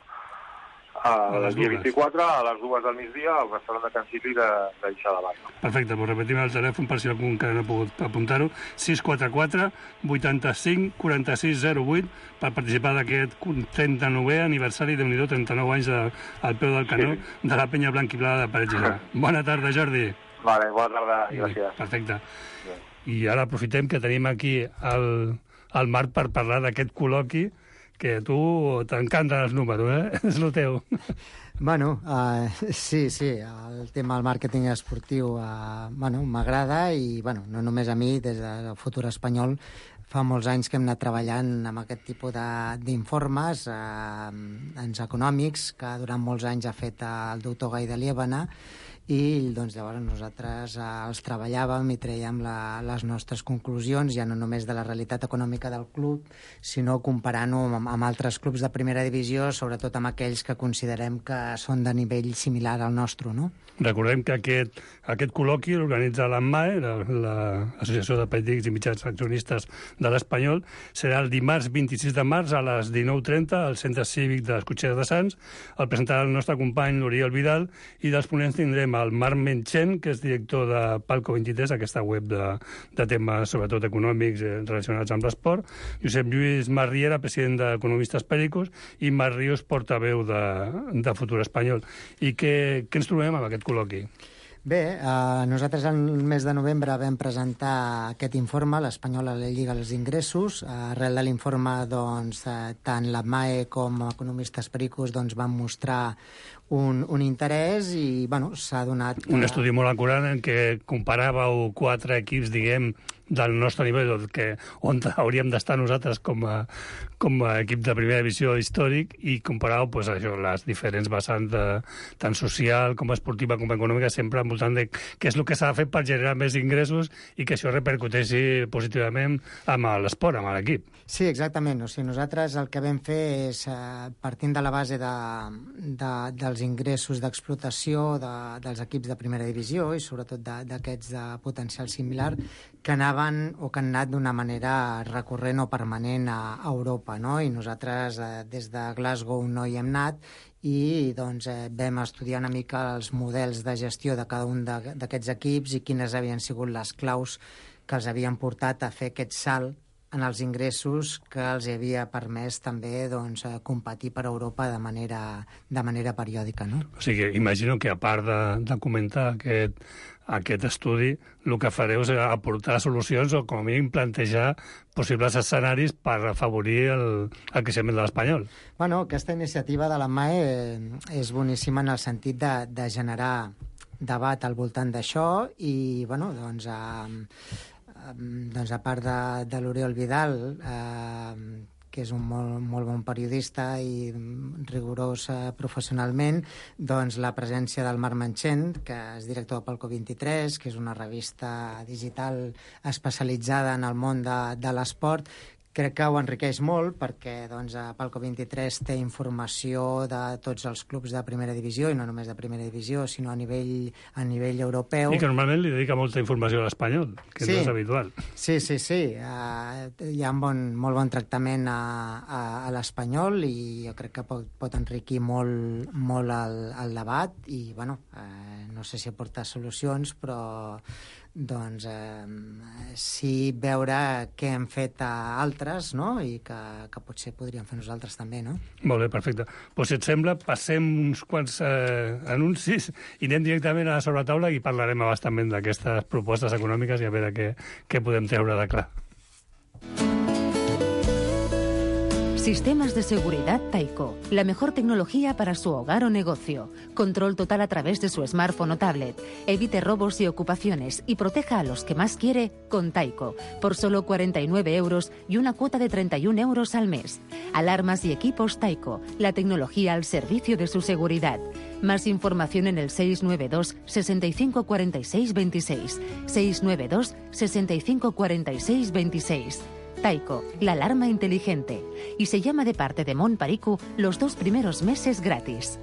el dia 24, a les 2 del migdia, al restaurant de Can Cipri de Lliçà de Vall. Perfecte, doncs repetim el telèfon per si algú encara no ha pogut apuntar-ho. 644 85 46 08 per participar d'aquest 39è aniversari, de 39 anys al peu del canó de la penya blanquiblada de Parets Lliçà. Bona tarda, Jordi. Vale, bona tarda, gràcies. Perfecte. I ara aprofitem que tenim aquí el Marc per parlar d'aquest col·loqui, que a tu t'encanten els números, és el teu. Bueno, sí, el tema del màrqueting esportiu m'agrada, i no només a mi, des del Futur Espanyol fa molts anys que hem anat treballant amb aquest tipus d'informes econòmics que durant molts anys ha fet el doctor Gai de Liébana, i doncs llavors nosaltres els treballàvem i traiem les nostres conclusions, ja no només de la realitat econòmica del club, sinó comparant-ho amb altres clubs de primera divisió, sobretot amb aquells que considerem que són de nivell similar al nostre, no? Recordem que aquest col·loqui l'organitza l'AMMAE, l'Associació de Periòdics i Mitjans Accionistes de l'Espanyol. Serà el dimarts 26 de març a les 19:30 al Centre Cívic de les Cotxeres de Sants. El presentarà el nostre company l'Oriol Vidal, i dels ponents tindrem el Marc Menchen, que és director de Palco 23, aquesta web de temes sobretot econòmics relacionats amb l'esport, Josep Lluís Marriera, president d'Economistes Pericos, i Marc Ríos, portaveu de Futur Espanyol. I què ens trobem amb aquest col·loqui? Bé, nosaltres el mes de novembre vam presentar aquest informe, l'Espanyol a la Lliga dels Ingressos. Arrel de l'informe, tant la MAE com Economistes Pericos van mostrar un interès, i s'ha donat... Un estudi molt acurat en què comparàveu 4 equips, diguem, del nostre nivell, on hauríem d'estar nosaltres com a equip de primera divisió històric, i comparàveu les diferents vessants tant social com esportiva com econòmica, sempre al voltant de què és el que s'ha de fer per generar més ingressos i que això repercuteixi positivament amb l'esport, amb l'equip. Sí, exactament. O sigui, nosaltres el que vam fer és, partint de la base dels ingressos d'explotació dels equips de primera divisió, i sobretot d'aquests de potencial similar, que anaven o que han anat d'una manera recurrent o permanent a Europa, no? I nosaltres des de Glasgow no hi hem anat, i vam estudiar una mica els models de gestió de cada un d'aquests equips i quines havien sigut les claus que els havien portat a fer aquest salt en els ingressos que els havia permès també competir per Europa de manera periòdica, no? O sigui, imagino que a part de comentar aquest estudi, el que fareu és aportar solucions o com a mínim plantejar possibles escenaris per afavorir el creixement de l'Espanyol. Bueno, aquesta iniciativa de la MAE és boníssima en el sentit de generar debat al voltant d'això i, bueno, doncs a part de l'Oriol Vidal, que és un molt bon periodista i rigorós professionalment, doncs la presència del Marc Manchent, que és director de Palco 23, que és una revista digital especialitzada en el món de l'esport, crec que ho enriqueix molt perquè doncs, Palco 23 té informació de tots els clubs de primera divisió, i no només de primera divisió, sinó a nivell europeu. I que normalment li dedica molta informació a l'Espanyol, que no és habitual. Sí. Hi ha molt bon tractament a l'Espanyol i jo crec que pot enriquir molt el debat i, bueno, no sé si aporta solucions, però doncs sí veure què hem fet a altres, no? I que potser podríem fer nosaltres també, no? Molt bé, perfecte. Pues, si et sembla, passem uns quants anuncis i anem directament a la sobretaula i parlarem abastament d'aquestes propostes econòmiques i a veure què podem treure de clar. Sistemas de seguridad Taiko. La mejor tecnología para su hogar o negocio. Control total a través de su smartphone o tablet. Evite robos y ocupaciones y proteja a los que más quiere con Taiko. Por solo 49 euros y una cuota de 31 euros al mes. Alarmas y equipos Taiko. La tecnología al servicio de su seguridad. Más información en el 692 65 46 26. 692 65 46 26. Taiko, la alarma inteligente. Y se llama de parte de Mont Pericu los 2 primeros meses gratis.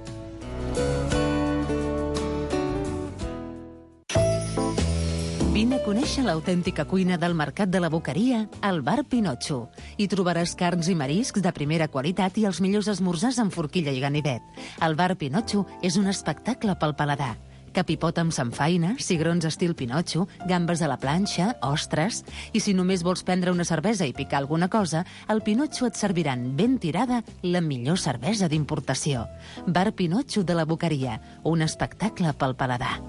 Vine a conèixer l'autèntica cuina del Mercat de la Boqueria al Bar Pinotxo. Hi trobaràs carns i mariscs de primera qualitat i els millors esmorzars amb forquilla i ganivet. El Bar Pinotxo és un espectacle pel paladar. Capipot amb samfaina, cigrons estil Pinotxo, gambes a la planxa, ostres... I si només vols prendre una cervesa i picar alguna cosa, al Pinotxo et serviran ben tirada la millor cervesa d'importació. Bar Pinotxo de la Boqueria, un espectacle pel paladar.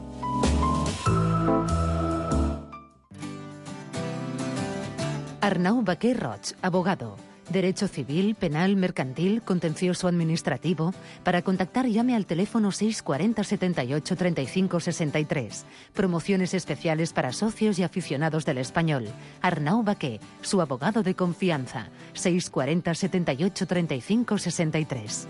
Arnau Baquer Roig, abogado. Derecho civil, penal, mercantil, contencioso administrativo. Para contactar llame al teléfono 640 78 35 63. Promociones especiales para socios y aficionados del español. Arnau Baquer, su abogado de confianza. 640 78 35 63.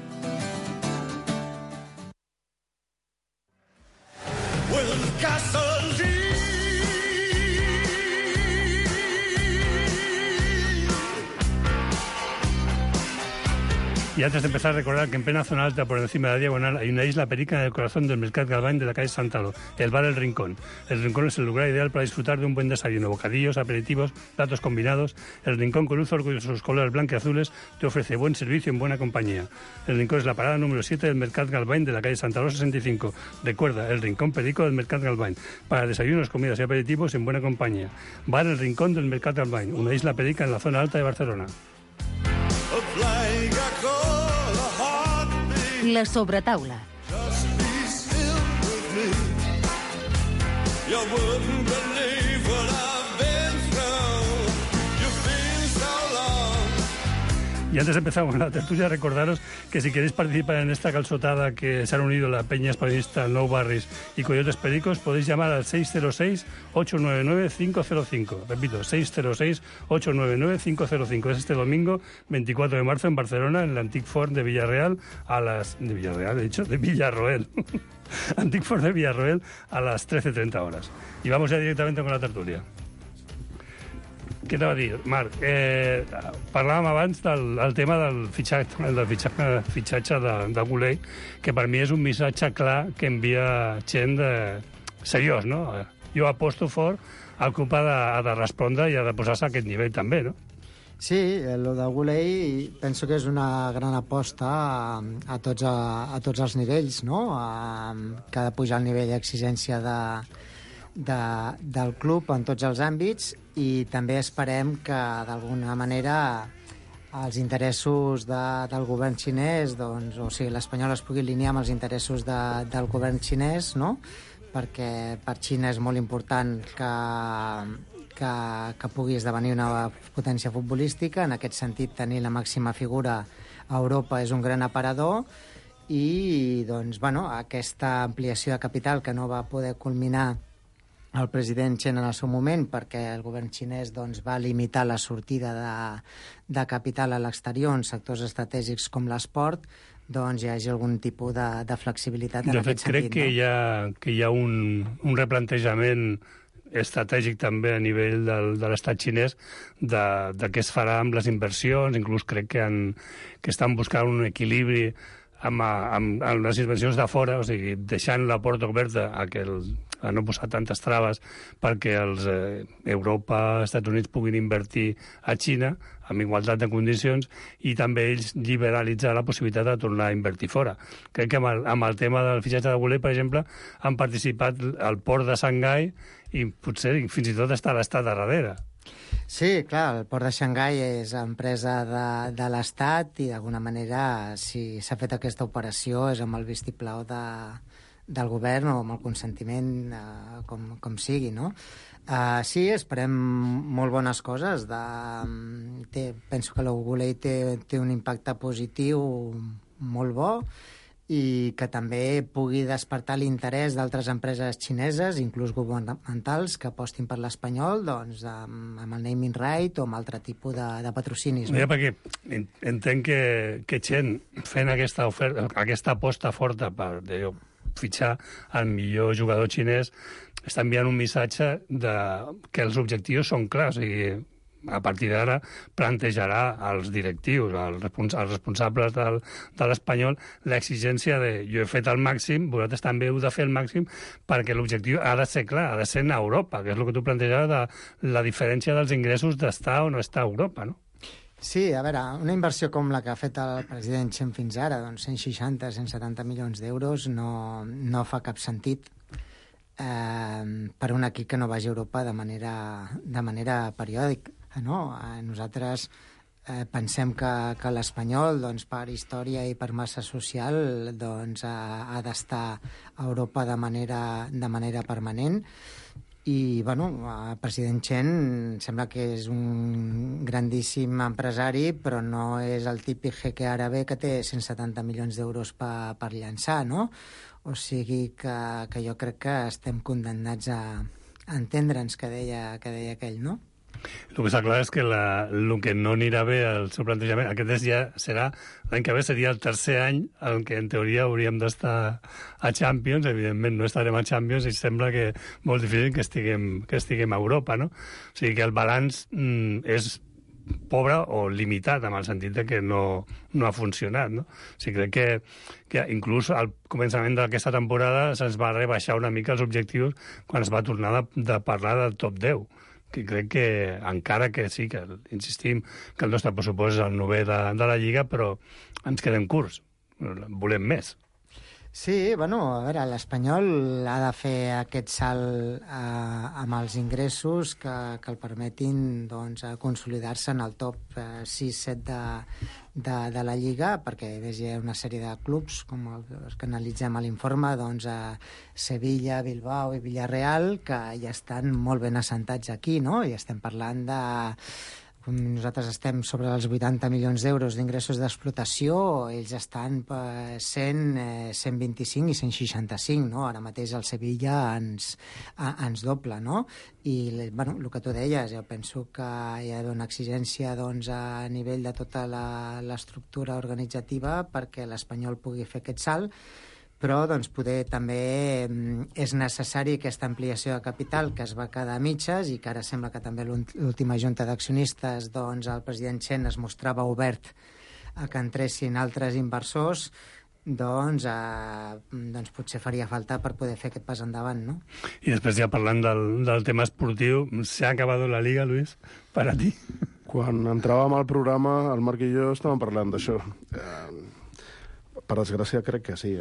Y antes de empezar, recordar que en plena zona alta, por encima de la diagonal, hay una isla perica en el corazón del Mercat Galvany de la calle Santalo, el bar El Rincón. El Rincón es el lugar ideal para disfrutar de un buen desayuno, bocadillos, aperitivos, platos combinados. El Rincón, con luz con sus colores blanqueazules, te ofrece buen servicio en buena compañía. El Rincón es la parada número 7 del Mercat Galvany de la calle Santalo 65. Recuerda, el Rincón perico del Mercat Galvany, para desayunos, comidas y aperitivos en buena compañía. Bar El Rincón del Mercat Galvany, una isla perica en la zona alta de Barcelona. La sobretaula. Y antes de empezar con la tertulia, recordaros que si queréis participar en esta calçotada que se han unido la Peña Españolista, Nou Barris y Coyotes Pericos, podéis llamar al 606-899-505. Repito, 606-899-505. Es este domingo, 24 de marzo, en Barcelona, en el Antic Forn de Villarroel, de Villarroel. Antic Forn de Villarroel a las 13:30 horas. Y vamos ya directamente con la tertulia. Què t'ha de dir, Marc? Parlàvem abans del tema del fitxatge de Goulet, que per mi és un missatge clar que envia gent seriós, no? Jo aposto fort, el club ha de respondre i ha de posar-se a aquest nivell també, no? Sí, el de Goulet penso que és una gran aposta a tots els nivells, no? Que ha de pujar el nivell d'exigència del club en tots els àmbits i també esperem que d'alguna manera els interessos del govern xinès, doncs, o sigui, l'Espanyol es pugui alinear amb els interessos del govern xinès, no? Perquè per Xina és molt important que pugui esdevenir una potència futbolística. En aquest sentit, tenir la màxima figura a Europa és un gran aparador i doncs, bueno, aquesta ampliació de capital que no va poder culminar el president Chen en el seu moment perquè el govern xinès doncs, va limitar la sortida de capital a l'exterior en sectors estratègics com l'esport, doncs hi hagi algun tipus de flexibilitat en aquest sentit. De fet, crec que hi ha un replantejament estratègic també a nivell de l'estat xinès de què es farà amb les inversions, inclús crec que estan buscant un equilibri amb les inversions de fora, o sigui, deixant la porta oberta a no posar tantes traves perquè Europa, Estats Units puguin invertir a Xina amb igualtat de condicions i també ells liberalitzar la possibilitat de tornar a invertir fora. Crec que amb el tema del fitxatge de Goulet, per exemple, han participat al port de Xangai i potser fins i tot està l'Estat darrere. Sí, clar, el port de Xangai és empresa de l'Estat i d'alguna manera si s'ha fet aquesta operació és amb el vistiplau del govern o amb el consentiment com sigui, no? Sí, esperem molt bones coses. Penso que l'Ogulei té un impacte positiu molt bo i que també pugui despertar l'interès d'altres empreses xineses, inclús governamentals, que apostin per l'espanyol doncs, amb el naming right o amb altre tipus de patrocinis. No? Perquè entenc que Chen, fent aquesta aposta forta per fitxar el millor jugador xinès, està enviant un missatge que els objectius són clars i a partir d'ara plantejarà als directius, als responsables de l'Espanyol, l'exigència de jo he fet el màxim, vosaltres també heu de fer el màxim, perquè l'objectiu ha de ser clar, ha de ser en Europa, que és el que tu plantejaves de la diferència dels ingressos d'estar o no estar a Europa, no? Sí, a veure, una inversió com la que ha fet el president Chen fins ara, doncs 160-170 milions d'euros, no fa cap sentit per un equip que no vagi a Europa de manera periòdica. No? Nosaltres pensem que l'Espanyol, doncs, per història i per massa social, doncs, ha d'estar a Europa de manera permanent. I, bueno, el president Chen sembla que és un grandíssim empresari, però no és el típic jeque àrabe que té 170 milions d'euros per llançar, no? O sigui que jo crec que estem condemnats a entendre'ns, que deia aquell, no? El que està clar és que el que no anirà bé al seu plantejament, aquest ja serà, l'any que ve seria el tercer any en què en teoria hauríem d'estar a Champions, evidentment no estarem a Champions i sembla que molt difícil que estiguem a Europa, no? O sigui que el balanç és pobre o limitat, en el sentit de que no ha funcionat, no? O sigui, crec que inclús al començament d'aquesta temporada se'ns va rebaixar una mica els objectius quan es va tornar de parlar del top 10, que crec que encara que sí, que insistim que el nostre pressupost és el 9è de la Lliga, però ens quedem curts, volem més. Sí, bueno, a veure, l'Espanyol ha de fer aquest salt amb els ingressos que el permetin doncs, consolidar-se en el top 6-7 de la Lliga, perquè hi ha una sèrie de clubs, com els que analitzem a l'informe, doncs, Sevilla, Bilbao i Villarreal, que ja estan molt ben assentats aquí, no? I estem parlant de... Nosaltres estem sobre els 80 milions d'euros d'ingressos d'explotació, ells estan per 100, 125 i 165, no? Ara mateix el Sevilla ens dobla, no? I, bueno, el que tu deies, jo penso que hi ha d'haver una exigència doncs, a nivell de tota l'estructura organitzativa perquè l'Espanyol pugui fer aquest salt, però doncs, poder també és necessari aquesta ampliació de capital que es va quedar a mitges i que ara sembla que també l'última junta d'accionistes doncs, el president Chen es mostrava obert a que entressin altres inversors, doncs potser faria falta per poder fer aquest pas endavant, no? I després ja parlant del tema esportiu, s'ha acabat la Liga, Luis, per a ti? Quan entràvem al programa, el Marc i jo estàvem parlant d'això. Per desgràcia crec que sí,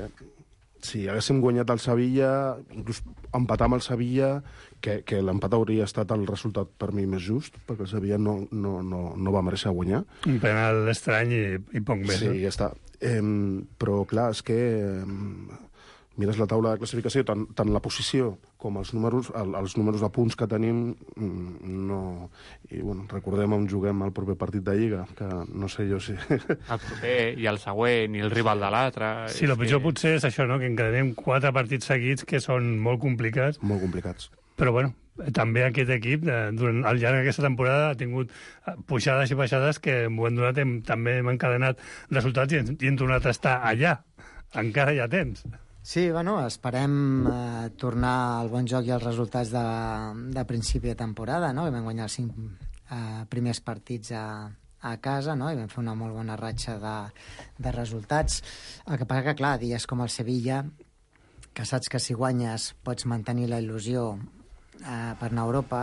Si haguéssim guanyat el Sevilla, inclús empatar amb el Sevilla, que l'empat hauria estat el resultat per mi més just, perquè el Sevilla no va mereixer guanyar. Un penal estrany i poc més. Sí, ja està. Però, clar, és que mires la taula de classificació, tant la posició com els números de punts que tenim, no... I, bueno, recordem on juguem el proper partit de Lliga, que no sé jo si... El proper, i el següent, i el rival de l'altre... Sí, el pitjor potser és això, no?, que encadenem 4 partits seguits que són molt complicats. Molt complicats. Però, bueno, també aquest equip, durant al llarg d'aquesta temporada, ha tingut pujades i baixades que en un moment donat també hem encadenat resultats i hem tornat a estar allà. Encara hi ha temps. Sí, bueno, esperem tornar al bon joc i als resultats de principi de temporada, no? Vam guanyar els 5 primers partits a casa, no? I vam fer una molt bona ratxa de resultats. El que passa que, clar, dies com el Sevilla, que saps que si guanyes pots mantenir la il·lusió per anar a Europa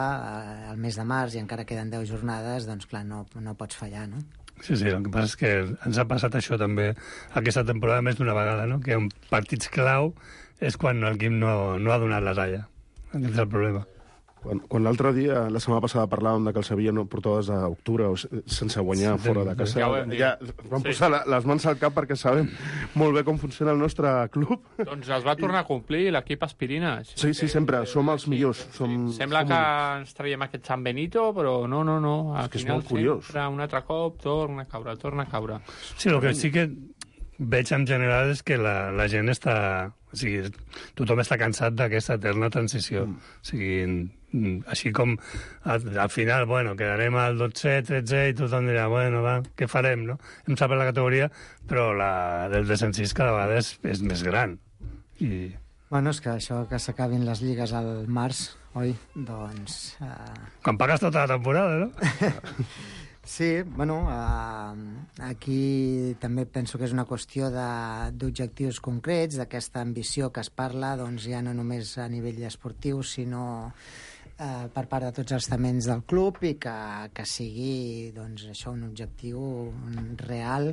al mes de març i encara queden 10 jornades, doncs, clar, no pots fallar, no? Sí, el que passa és que ens ha passat això també aquesta temporada més d'una vegada, no? Que en partits clau és quan l'equip no ha donat la talla. Aquest és el problema. Quan l'altre dia, la setmana passada, parlàvem que el Sevilla no portava des d'octubre sense guanyar fora de casa. Ja vam posar les mans al cap perquè sabem molt bé com funciona el nostre club. Doncs es va tornar a complir l'equip Aspirina. Sí, sempre. Som els millors. Sembla que ens traiem aquest San Benito, però no. Al és que final, és molt curiós. Sempre un altre cop torna a caure. Sí, el que sí que veig en general és que la gent està... O sigui, tothom està cansat d'aquesta eterna transició. O sigui, així com al final, bueno, quedarem al 12, 13 i tothom dirà, bueno, va, què farem, no? Hem sabut la categoria, però la del descensís cada vegada és més gran. I... Bueno, és que això que s'acabin les lligues al març, oi? Doncs... Quan pagues tota la temporada, no? Sí, bueno, aquí també penso que és una qüestió d'objectius concrets, d'aquesta ambició que es parla, doncs ja no només a nivell esportiu, sinó per part de tots els estaments del club i que sigui, doncs, això, un objectiu real,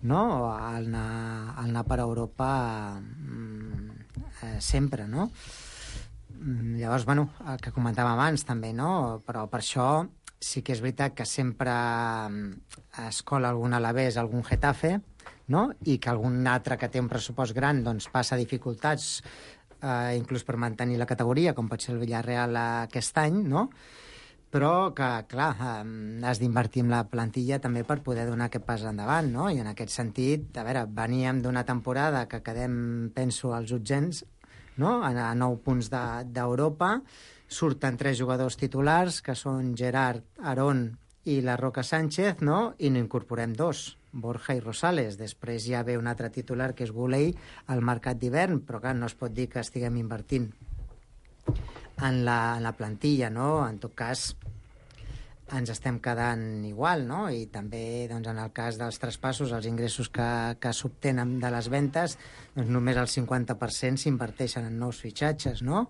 no?, al anar per Europa sempre, no? Llavors, bueno, el que comentàvem abans també, no?, però per això sí que és veritat que sempre es cola algun Alavés, algun Getafe, no?, i que algun altre que té un pressupost gran doncs passa dificultats inclús per mantenir la categoria, com pot ser el Villarreal aquest any, no?, però que, clar, has d'invertir en la plantilla també per poder donar aquest pas endavant, no?, i en aquest sentit, a veure, veníem d'una temporada que quedem, penso, als utzens, no?, a 9 punts d'Europa, surten 3 jugadors titulars, que són Gerard, Aarón i la Roca Sánchez, no?, i n'incorporem 2, Borja i Rosales. Després ja ve un altre titular, que és Guley, al mercat d'hivern, però clar, no es pot dir que estiguem invertint en la plantilla, no? En tot cas, ens estem quedant igual, no? I també, doncs, en el cas dels traspassos, els ingressos que s'obtenen de les ventes, doncs només el 50% s'inverteixen en nous fitxatges, no?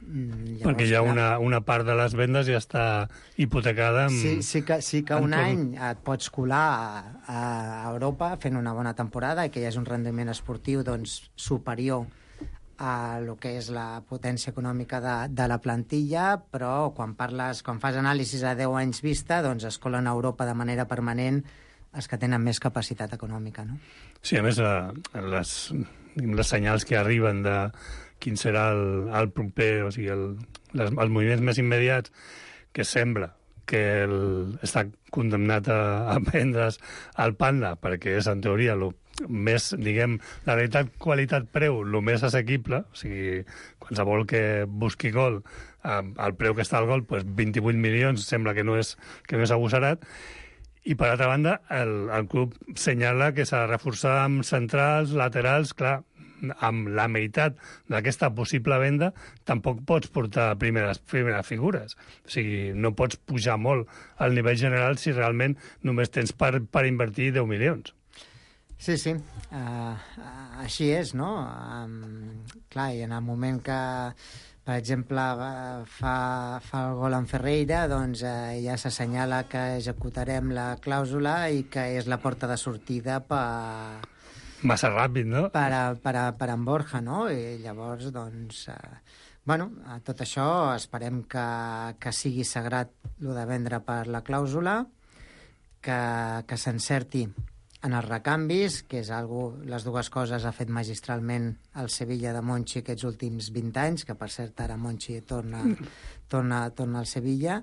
Llavors, perquè ja una part de les vendes ja està hipotecada amb... Sí que un any et pots colar a Europa fent una bona temporada i que hi hagi un rendiment esportiu doncs, superior a lo que és la potència econòmica de la plantilla, però quan fas anàlisis a 10 anys vista, doncs es colen a Europa de manera permanent els que tenen més capacitat econòmica, no? Sí, a més, les senyals que arriben de quin serà el proper, o sigui, els moviments més immediats, que sembla que està condemnat a vendre's al Panda, perquè és, en teoria, més, diguem, la realitat qualitat-preu, el més assequible, o sigui, qualsevol que busqui gol, al preu que està el gol, doncs 28 milions sembla que no és agosarat, i per altra banda, el club senyala que s'ha de reforçar amb centrals, laterals, clar, amb la meitat d'aquesta possible venda tampoc pots portar primeres figures. O sigui, no pots pujar molt al nivell general si realment només tens per invertir 10 milions. Sí, així és, no? Clar, i en el moment que, per exemple, fa el gol en Ferreira, doncs ja s'assenyala que executarem la clàusula i que és la porta de sortida massa ràpid, no? Per en Borja, no? I llavors, doncs, tot això esperem que sigui sagrat, el de vendre per la clàusula, que s'encerti en els recanvis, que és les dues coses ha fet magistralment el Sevilla de Monchi aquests últims 20 anys, que per cert ara Monchi torna al Sevilla,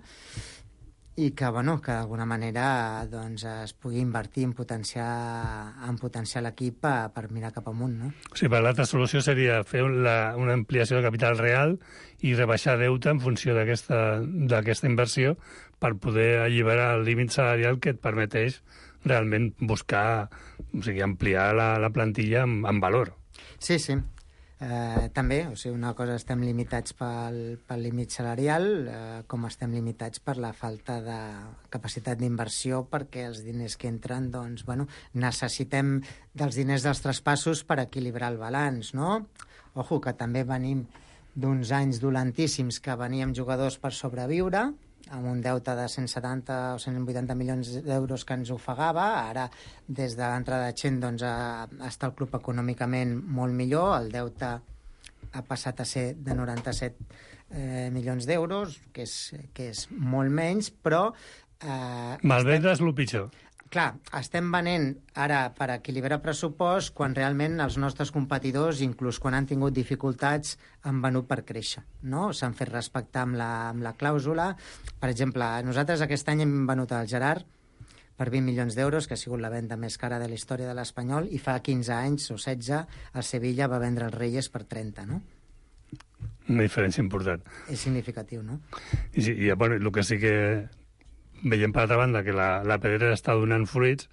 i que d'alguna manera doncs, es pugui invertir en potenciar l'equip per mirar cap amunt, no? Sí, per l'altra solució seria fer una ampliació de capital real i rebaixar deute en funció d'aquesta inversió per poder alliberar el límit salarial que et permeteix realment buscar, o sigui, ampliar la plantilla en valor. Sí. També, una cosa, estem limitats pel límit salarial, com estem limitats per la falta de capacitat d'inversió, perquè els diners que entren, doncs, necessitem dels diners dels traspassos per equilibrar el balanç, no? Ojo, que també venim d'uns anys dolentíssims que veníem jugadors per sobreviure, amb un deute de 170 o 180 milions d'euros que ens ofegava. Ara, des de l'entrada de Chen, doncs, està el club econòmicament molt millor. El deute ha passat a ser de 97 milions d'euros, que és molt menys, però... Malvendre és el pitjor. Clar, estem venent ara per equilibrar pressupost quan realment els nostres competidors, inclús quan han tingut dificultats, han venut per créixer, no? S'han fet respectar amb la clàusula. Per exemple, nosaltres aquest any hem venut el Gerard per 20 milions d'euros, que ha sigut la venda més cara de la història de l'Espanyol, i fa 15 anys o 16 el Sevilla va vendre els Reyes per 30, no? Una diferència important. És significatiu, no? I el que sí que veiem per altra banda que la pedrera està donant fruits,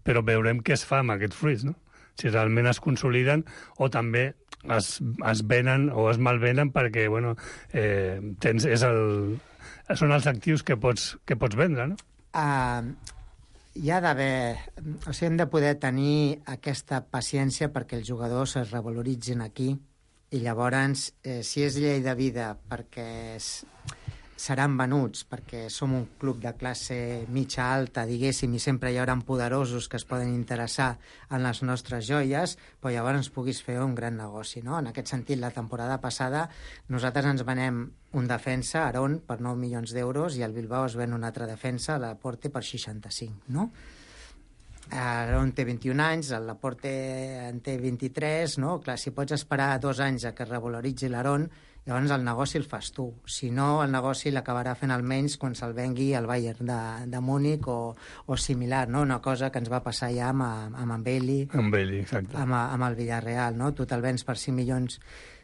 però veurem què es fa amb aquests fruits, no? Si realment es consoliden o també es venen o es malvenen perquè, són els actius que pots vendre, no? Hi ha d'haver... hem de poder tenir aquesta paciència perquè els jugadors es revaloritzin aquí i llavors, si és llei de vida perquè seran venuts, perquè som un club de classe mitja alta, diguéssim, i sempre hi haurà poderosos que es poden interessar en les nostres joies, però llavors puguis fer un gran negoci, no? En aquest sentit, la temporada passada nosaltres ens venem un defensa, Aarón, per 9 milions d'euros, i el Bilbao es ven un altre defensa, Laporte, per 65, no? Aarón té 21 anys, el Laporte en té 23, no? Clar, si pots esperar 2 anys a que es revaloritzi l'Aarón, llavors el negoci el fas tu. Si no, el negoci l'acabarà fent almenys quan se'l vengui al Bayern de Múnich o similar, no? Una cosa que ens va passar ja amb Bailey. Amb Bailey, exacte. Amb el Villarreal, no? Tu te'l vens per 5 milions,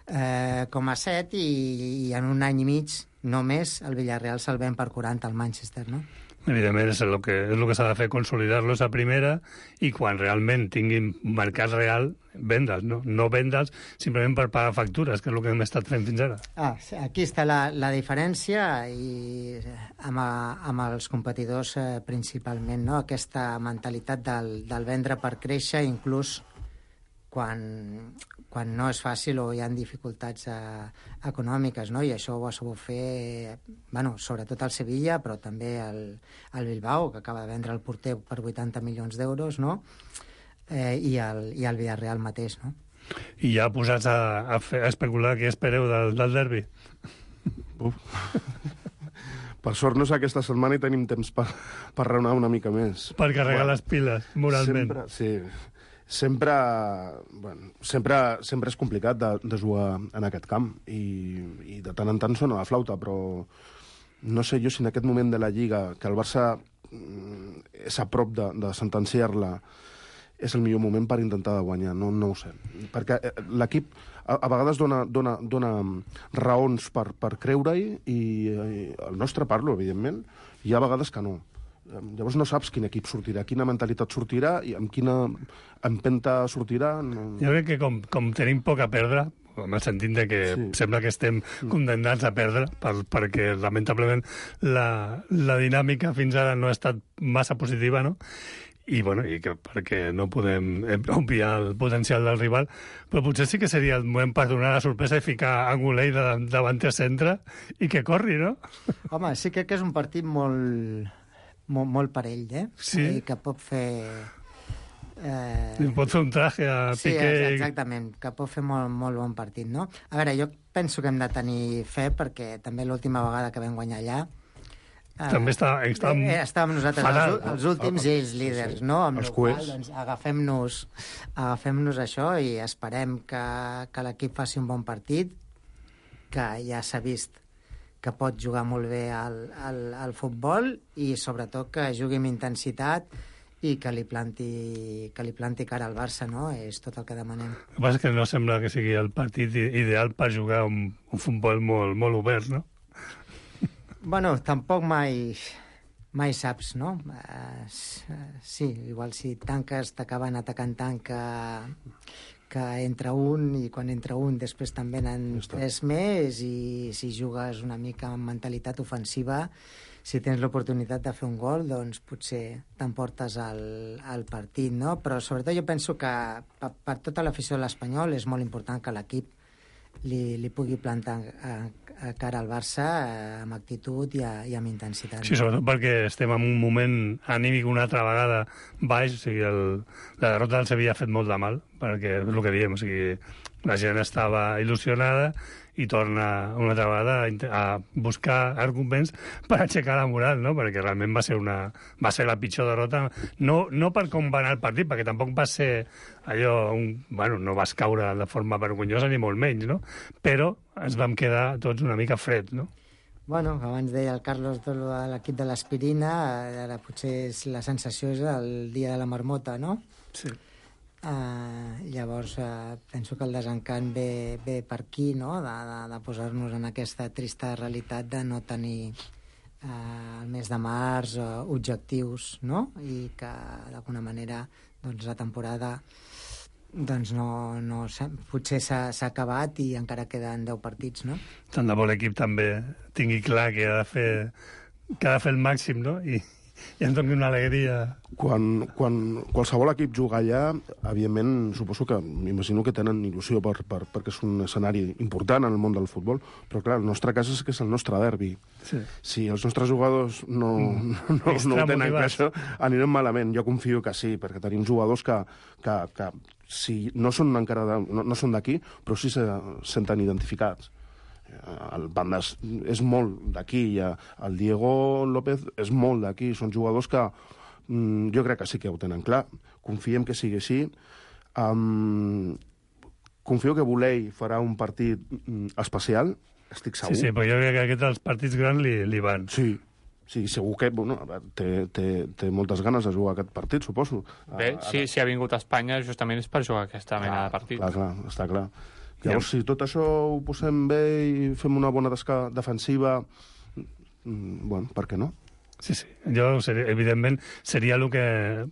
7 i en un any i mig només el Villarreal se'l ven per 40 al Manchester, no? Evidentment, és el que s'ha de fer, consolidar-los a primera, i quan realment tinguin mercat real, vendre'ls, no? No vendre'ls simplement per pagar factures, que és el que hem estat fent fins ara. Aquí està la diferència, i amb els competidors principalment, no? Aquesta mentalitat del vendre per créixer, inclús quan no és fàcil o hi ha dificultats econòmiques, no? I això ho ha sabut fer, sobretot el Sevilla, però també el Bilbao, que acaba de vendre el porter per 80 milions d'euros, no? I el Villarreal mateix, no? I ja posats a especular què espereu del derbi? Per sort no és aquesta setmana i tenim temps per raonar una mica més. Per carregar les piles, moralment. Sempre és complicat de jugar en aquest camp i de tant en tant sona la flauta, però no sé jo si en aquest moment de la Lliga, que el Barça és a prop de sentenciar-la, és el millor moment per intentar de guanyar, no ho sé. Perquè l'equip a vegades dona raons per creure-hi, i el nostre parlo, evidentment, hi ha vegades que no. Llavors no saps quin equip sortirà, quina mentalitat sortirà i amb quina empenta sortirà. No... Jo crec que com tenim poc a perdre, en el sentit de que sembla que estem condemnats a perdre, perquè lamentablement la dinàmica fins ara no ha estat massa positiva, no? I perquè no podem obviar el potencial del rival, però potser sí que seria el moment per donar la sorpresa i ficar Angulei davanter centre i que corri, no? Home, sí que és un partit molt parell, Sí. Que pot fer... pot fer un traje a Piqué. Sí, exactament, que pot fer molt bon partit, no? A veure, jo penso que hem de tenir fe, perquè també l'última vegada que vam guanyar allà També estàvem nosaltres fatal, els últims i ells líders, no? Amb els el qual, cuers. doncs, agafem-nos això i esperem que l'equip faci un bon partit, que ja s'ha vist que pot jugar molt bé al futbol i sobretot que jugui amb intensitat i que li planti cara al Barça, no? És tot el que demanem. El que passa és que no sembla que sigui el partit ideal per jugar un futbol molt, molt obert, no? Bueno, tampoc mai saps, no? Sí, igual si tanques t'acaben atacant tant que entra un i quan entra un després també n'han tres més i si jugues una mica amb mentalitat ofensiva, si tens l'oportunitat de fer un gol, doncs potser t'emportes el partit, no? Però sobretot jo penso que per tota l'afició de l'Espanyol és molt important que l'equip li pugui plantar a cara al Barça amb actitud i amb intensitat. Sí, sobretot perquè estem en un moment anímic una altra vegada baix, o sigui, la derrota del Sevilla ha fet molt de mal, perquè és el que diem, o sigui, la gent estava il·lusionada i torna una altra vegada a buscar arguments per aixecar la moral, no? Perquè realment va ser la pitjor derrota, no per com va anar el partit, perquè tampoc va ser allò, no vas caure de forma vergonyosa ni molt menys, no? Però ens vam quedar tots una mica freds, no? Bueno, abans deia el Carlos de l'equip de l'Aspirina, ara potser la sensació és el dia de la marmota, no? Sí. Llavors penso que el desencant ve per aquí, no? De posar-nos en aquesta trista realitat de no tenir el mes de març objectius, no? I que d'alguna manera doncs, la temporada doncs no potser s'ha acabat i encara queden 10 partits, no? Tant de bo l'equip també tingui clar que ha de fer el màxim, no? I ens doni una alegria. Quan qualsevol equip juga allà, evidentment, suposo que, m'imagino que tenen il·lusió perquè és un escenari important en el món del futbol, però clar, el nostre cas és que és el nostre derbi. Sí. Si els nostres jugadors no ho tenen clar, això anirem malament. Jo confio que sí, perquè tenim jugadors que si no són encara no són d'aquí, però sí se senten identificats. El Bandas és molt d'aquí, el Diego López és molt d'aquí, són jugadors que jo crec que sí que ho tenen clar. Confiem que sigui així. Confio que Volei farà un partit especial, estic segur. Sí, però jo crec que aquests partits grans li van. Sí, segur que té moltes ganes de jugar aquest partit, suposo. Bé, si ha vingut a Espanya justament és per jugar aquesta mena de partit. Clar, està clar. Llavors, si tot això ho posem bé i fem una bona tasca defensiva, bueno, per què no? Sí. Jo, evidentment, seria el que...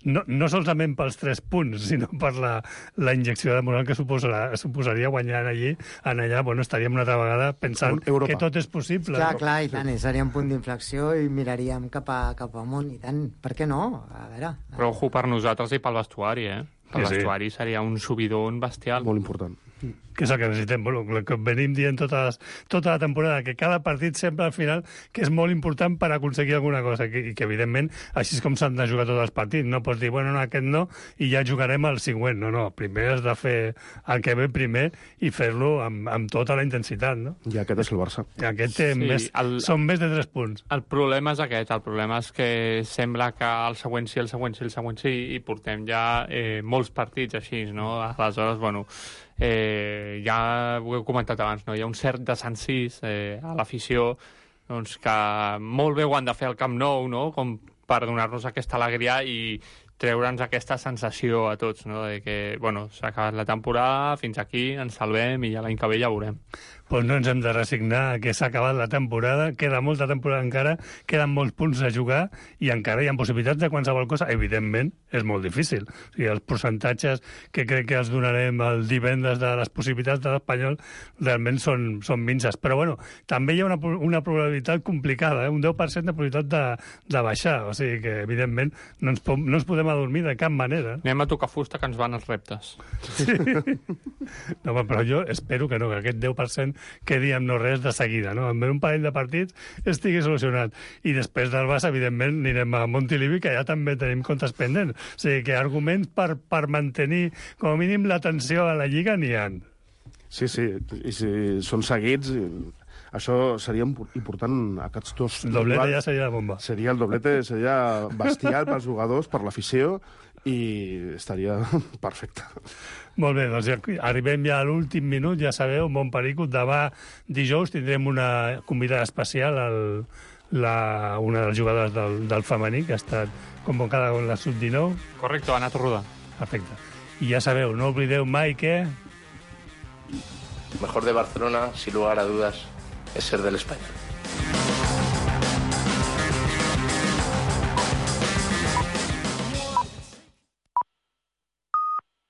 No solament pels 3 punts, sinó per la injecció de moral que suposaria guanyar allà, bueno, estaríem una altra vegada pensant que tot és possible. Clar, i tant, seria un punt d'inflexió i miraríem cap amunt, i tant, per què no? A veure... Però ojo per nosaltres i pel vestuari, Pel vestuari seria un subidon bestial. Molt important. Que és el que necessitem, bueno, el que venim dient tota la temporada, que cada partit sempre al final que és molt important per aconseguir alguna cosa, i que evidentment així és com s'han de jugar tots els partits, no pots dir, bueno, no, aquest no, i ja jugarem el següent, no, primer has de fer el que ve primer i fer-lo amb tota la intensitat, no? I aquest és el Barça. I aquest són més de 3 punts. El problema és aquest, el problema és que sembla que el següent sí, i portem ja molts partits així, no? Aleshores, bueno, ja ho he comentat abans, no? Hi ha un cert desencís a l'afició, doncs que molt bé ho han de fer al Camp Nou, no? Com per donar-nos aquesta alegria i treure'ns aquesta sensació a tots, no? De que, bueno, s'ha acabat la temporada, fins aquí, ens salvem i ja l'any que ve ja veurem. Doncs no ens hem de resignar que s'ha acabat la temporada, queda molta temporada encara, queden molts punts a jugar i encara hi ha possibilitats de qualsevol cosa. Evidentment, és molt difícil. O sigui, els percentatges que crec que els donarem el divendres de les possibilitats de l'Espanyol realment són minces. Però, bueno, també hi ha una probabilitat complicada, un 10% de probabilitat de baixar. O sigui que, evidentment, no ens podem adormir de cap manera. Anem a tocar fusta, que ens van els reptes. Sí. No, però jo espero que no, que aquest 10% quedi amb no res de seguida, no? En un parell de partits estigui solucionat. I després del Barça, evidentment, anirem a Montilivi, que ja també tenim comptes pendents. O sigui que arguments per mantenir, com a mínim, l'atenció a la Lliga n'hi ha. Sí, i si són seguits, Això seria important, aquests dos... El doblete ja seria la bomba. El doblete seria bestial pels jugadors, per l'afició, i estaria perfecte. Molt bé, doncs arribem ja a l'últim minut, ja sabeu, Montperico, demà dijous tindrem una convidada especial, una de les jugadores del femení, que ha estat convocada con la sub-19. Correcto, Ana Torruda. Perfecte. I ja sabeu, no oblideu mai que... Mejor de Barcelona, sin lugar a dudas, es ser del Español.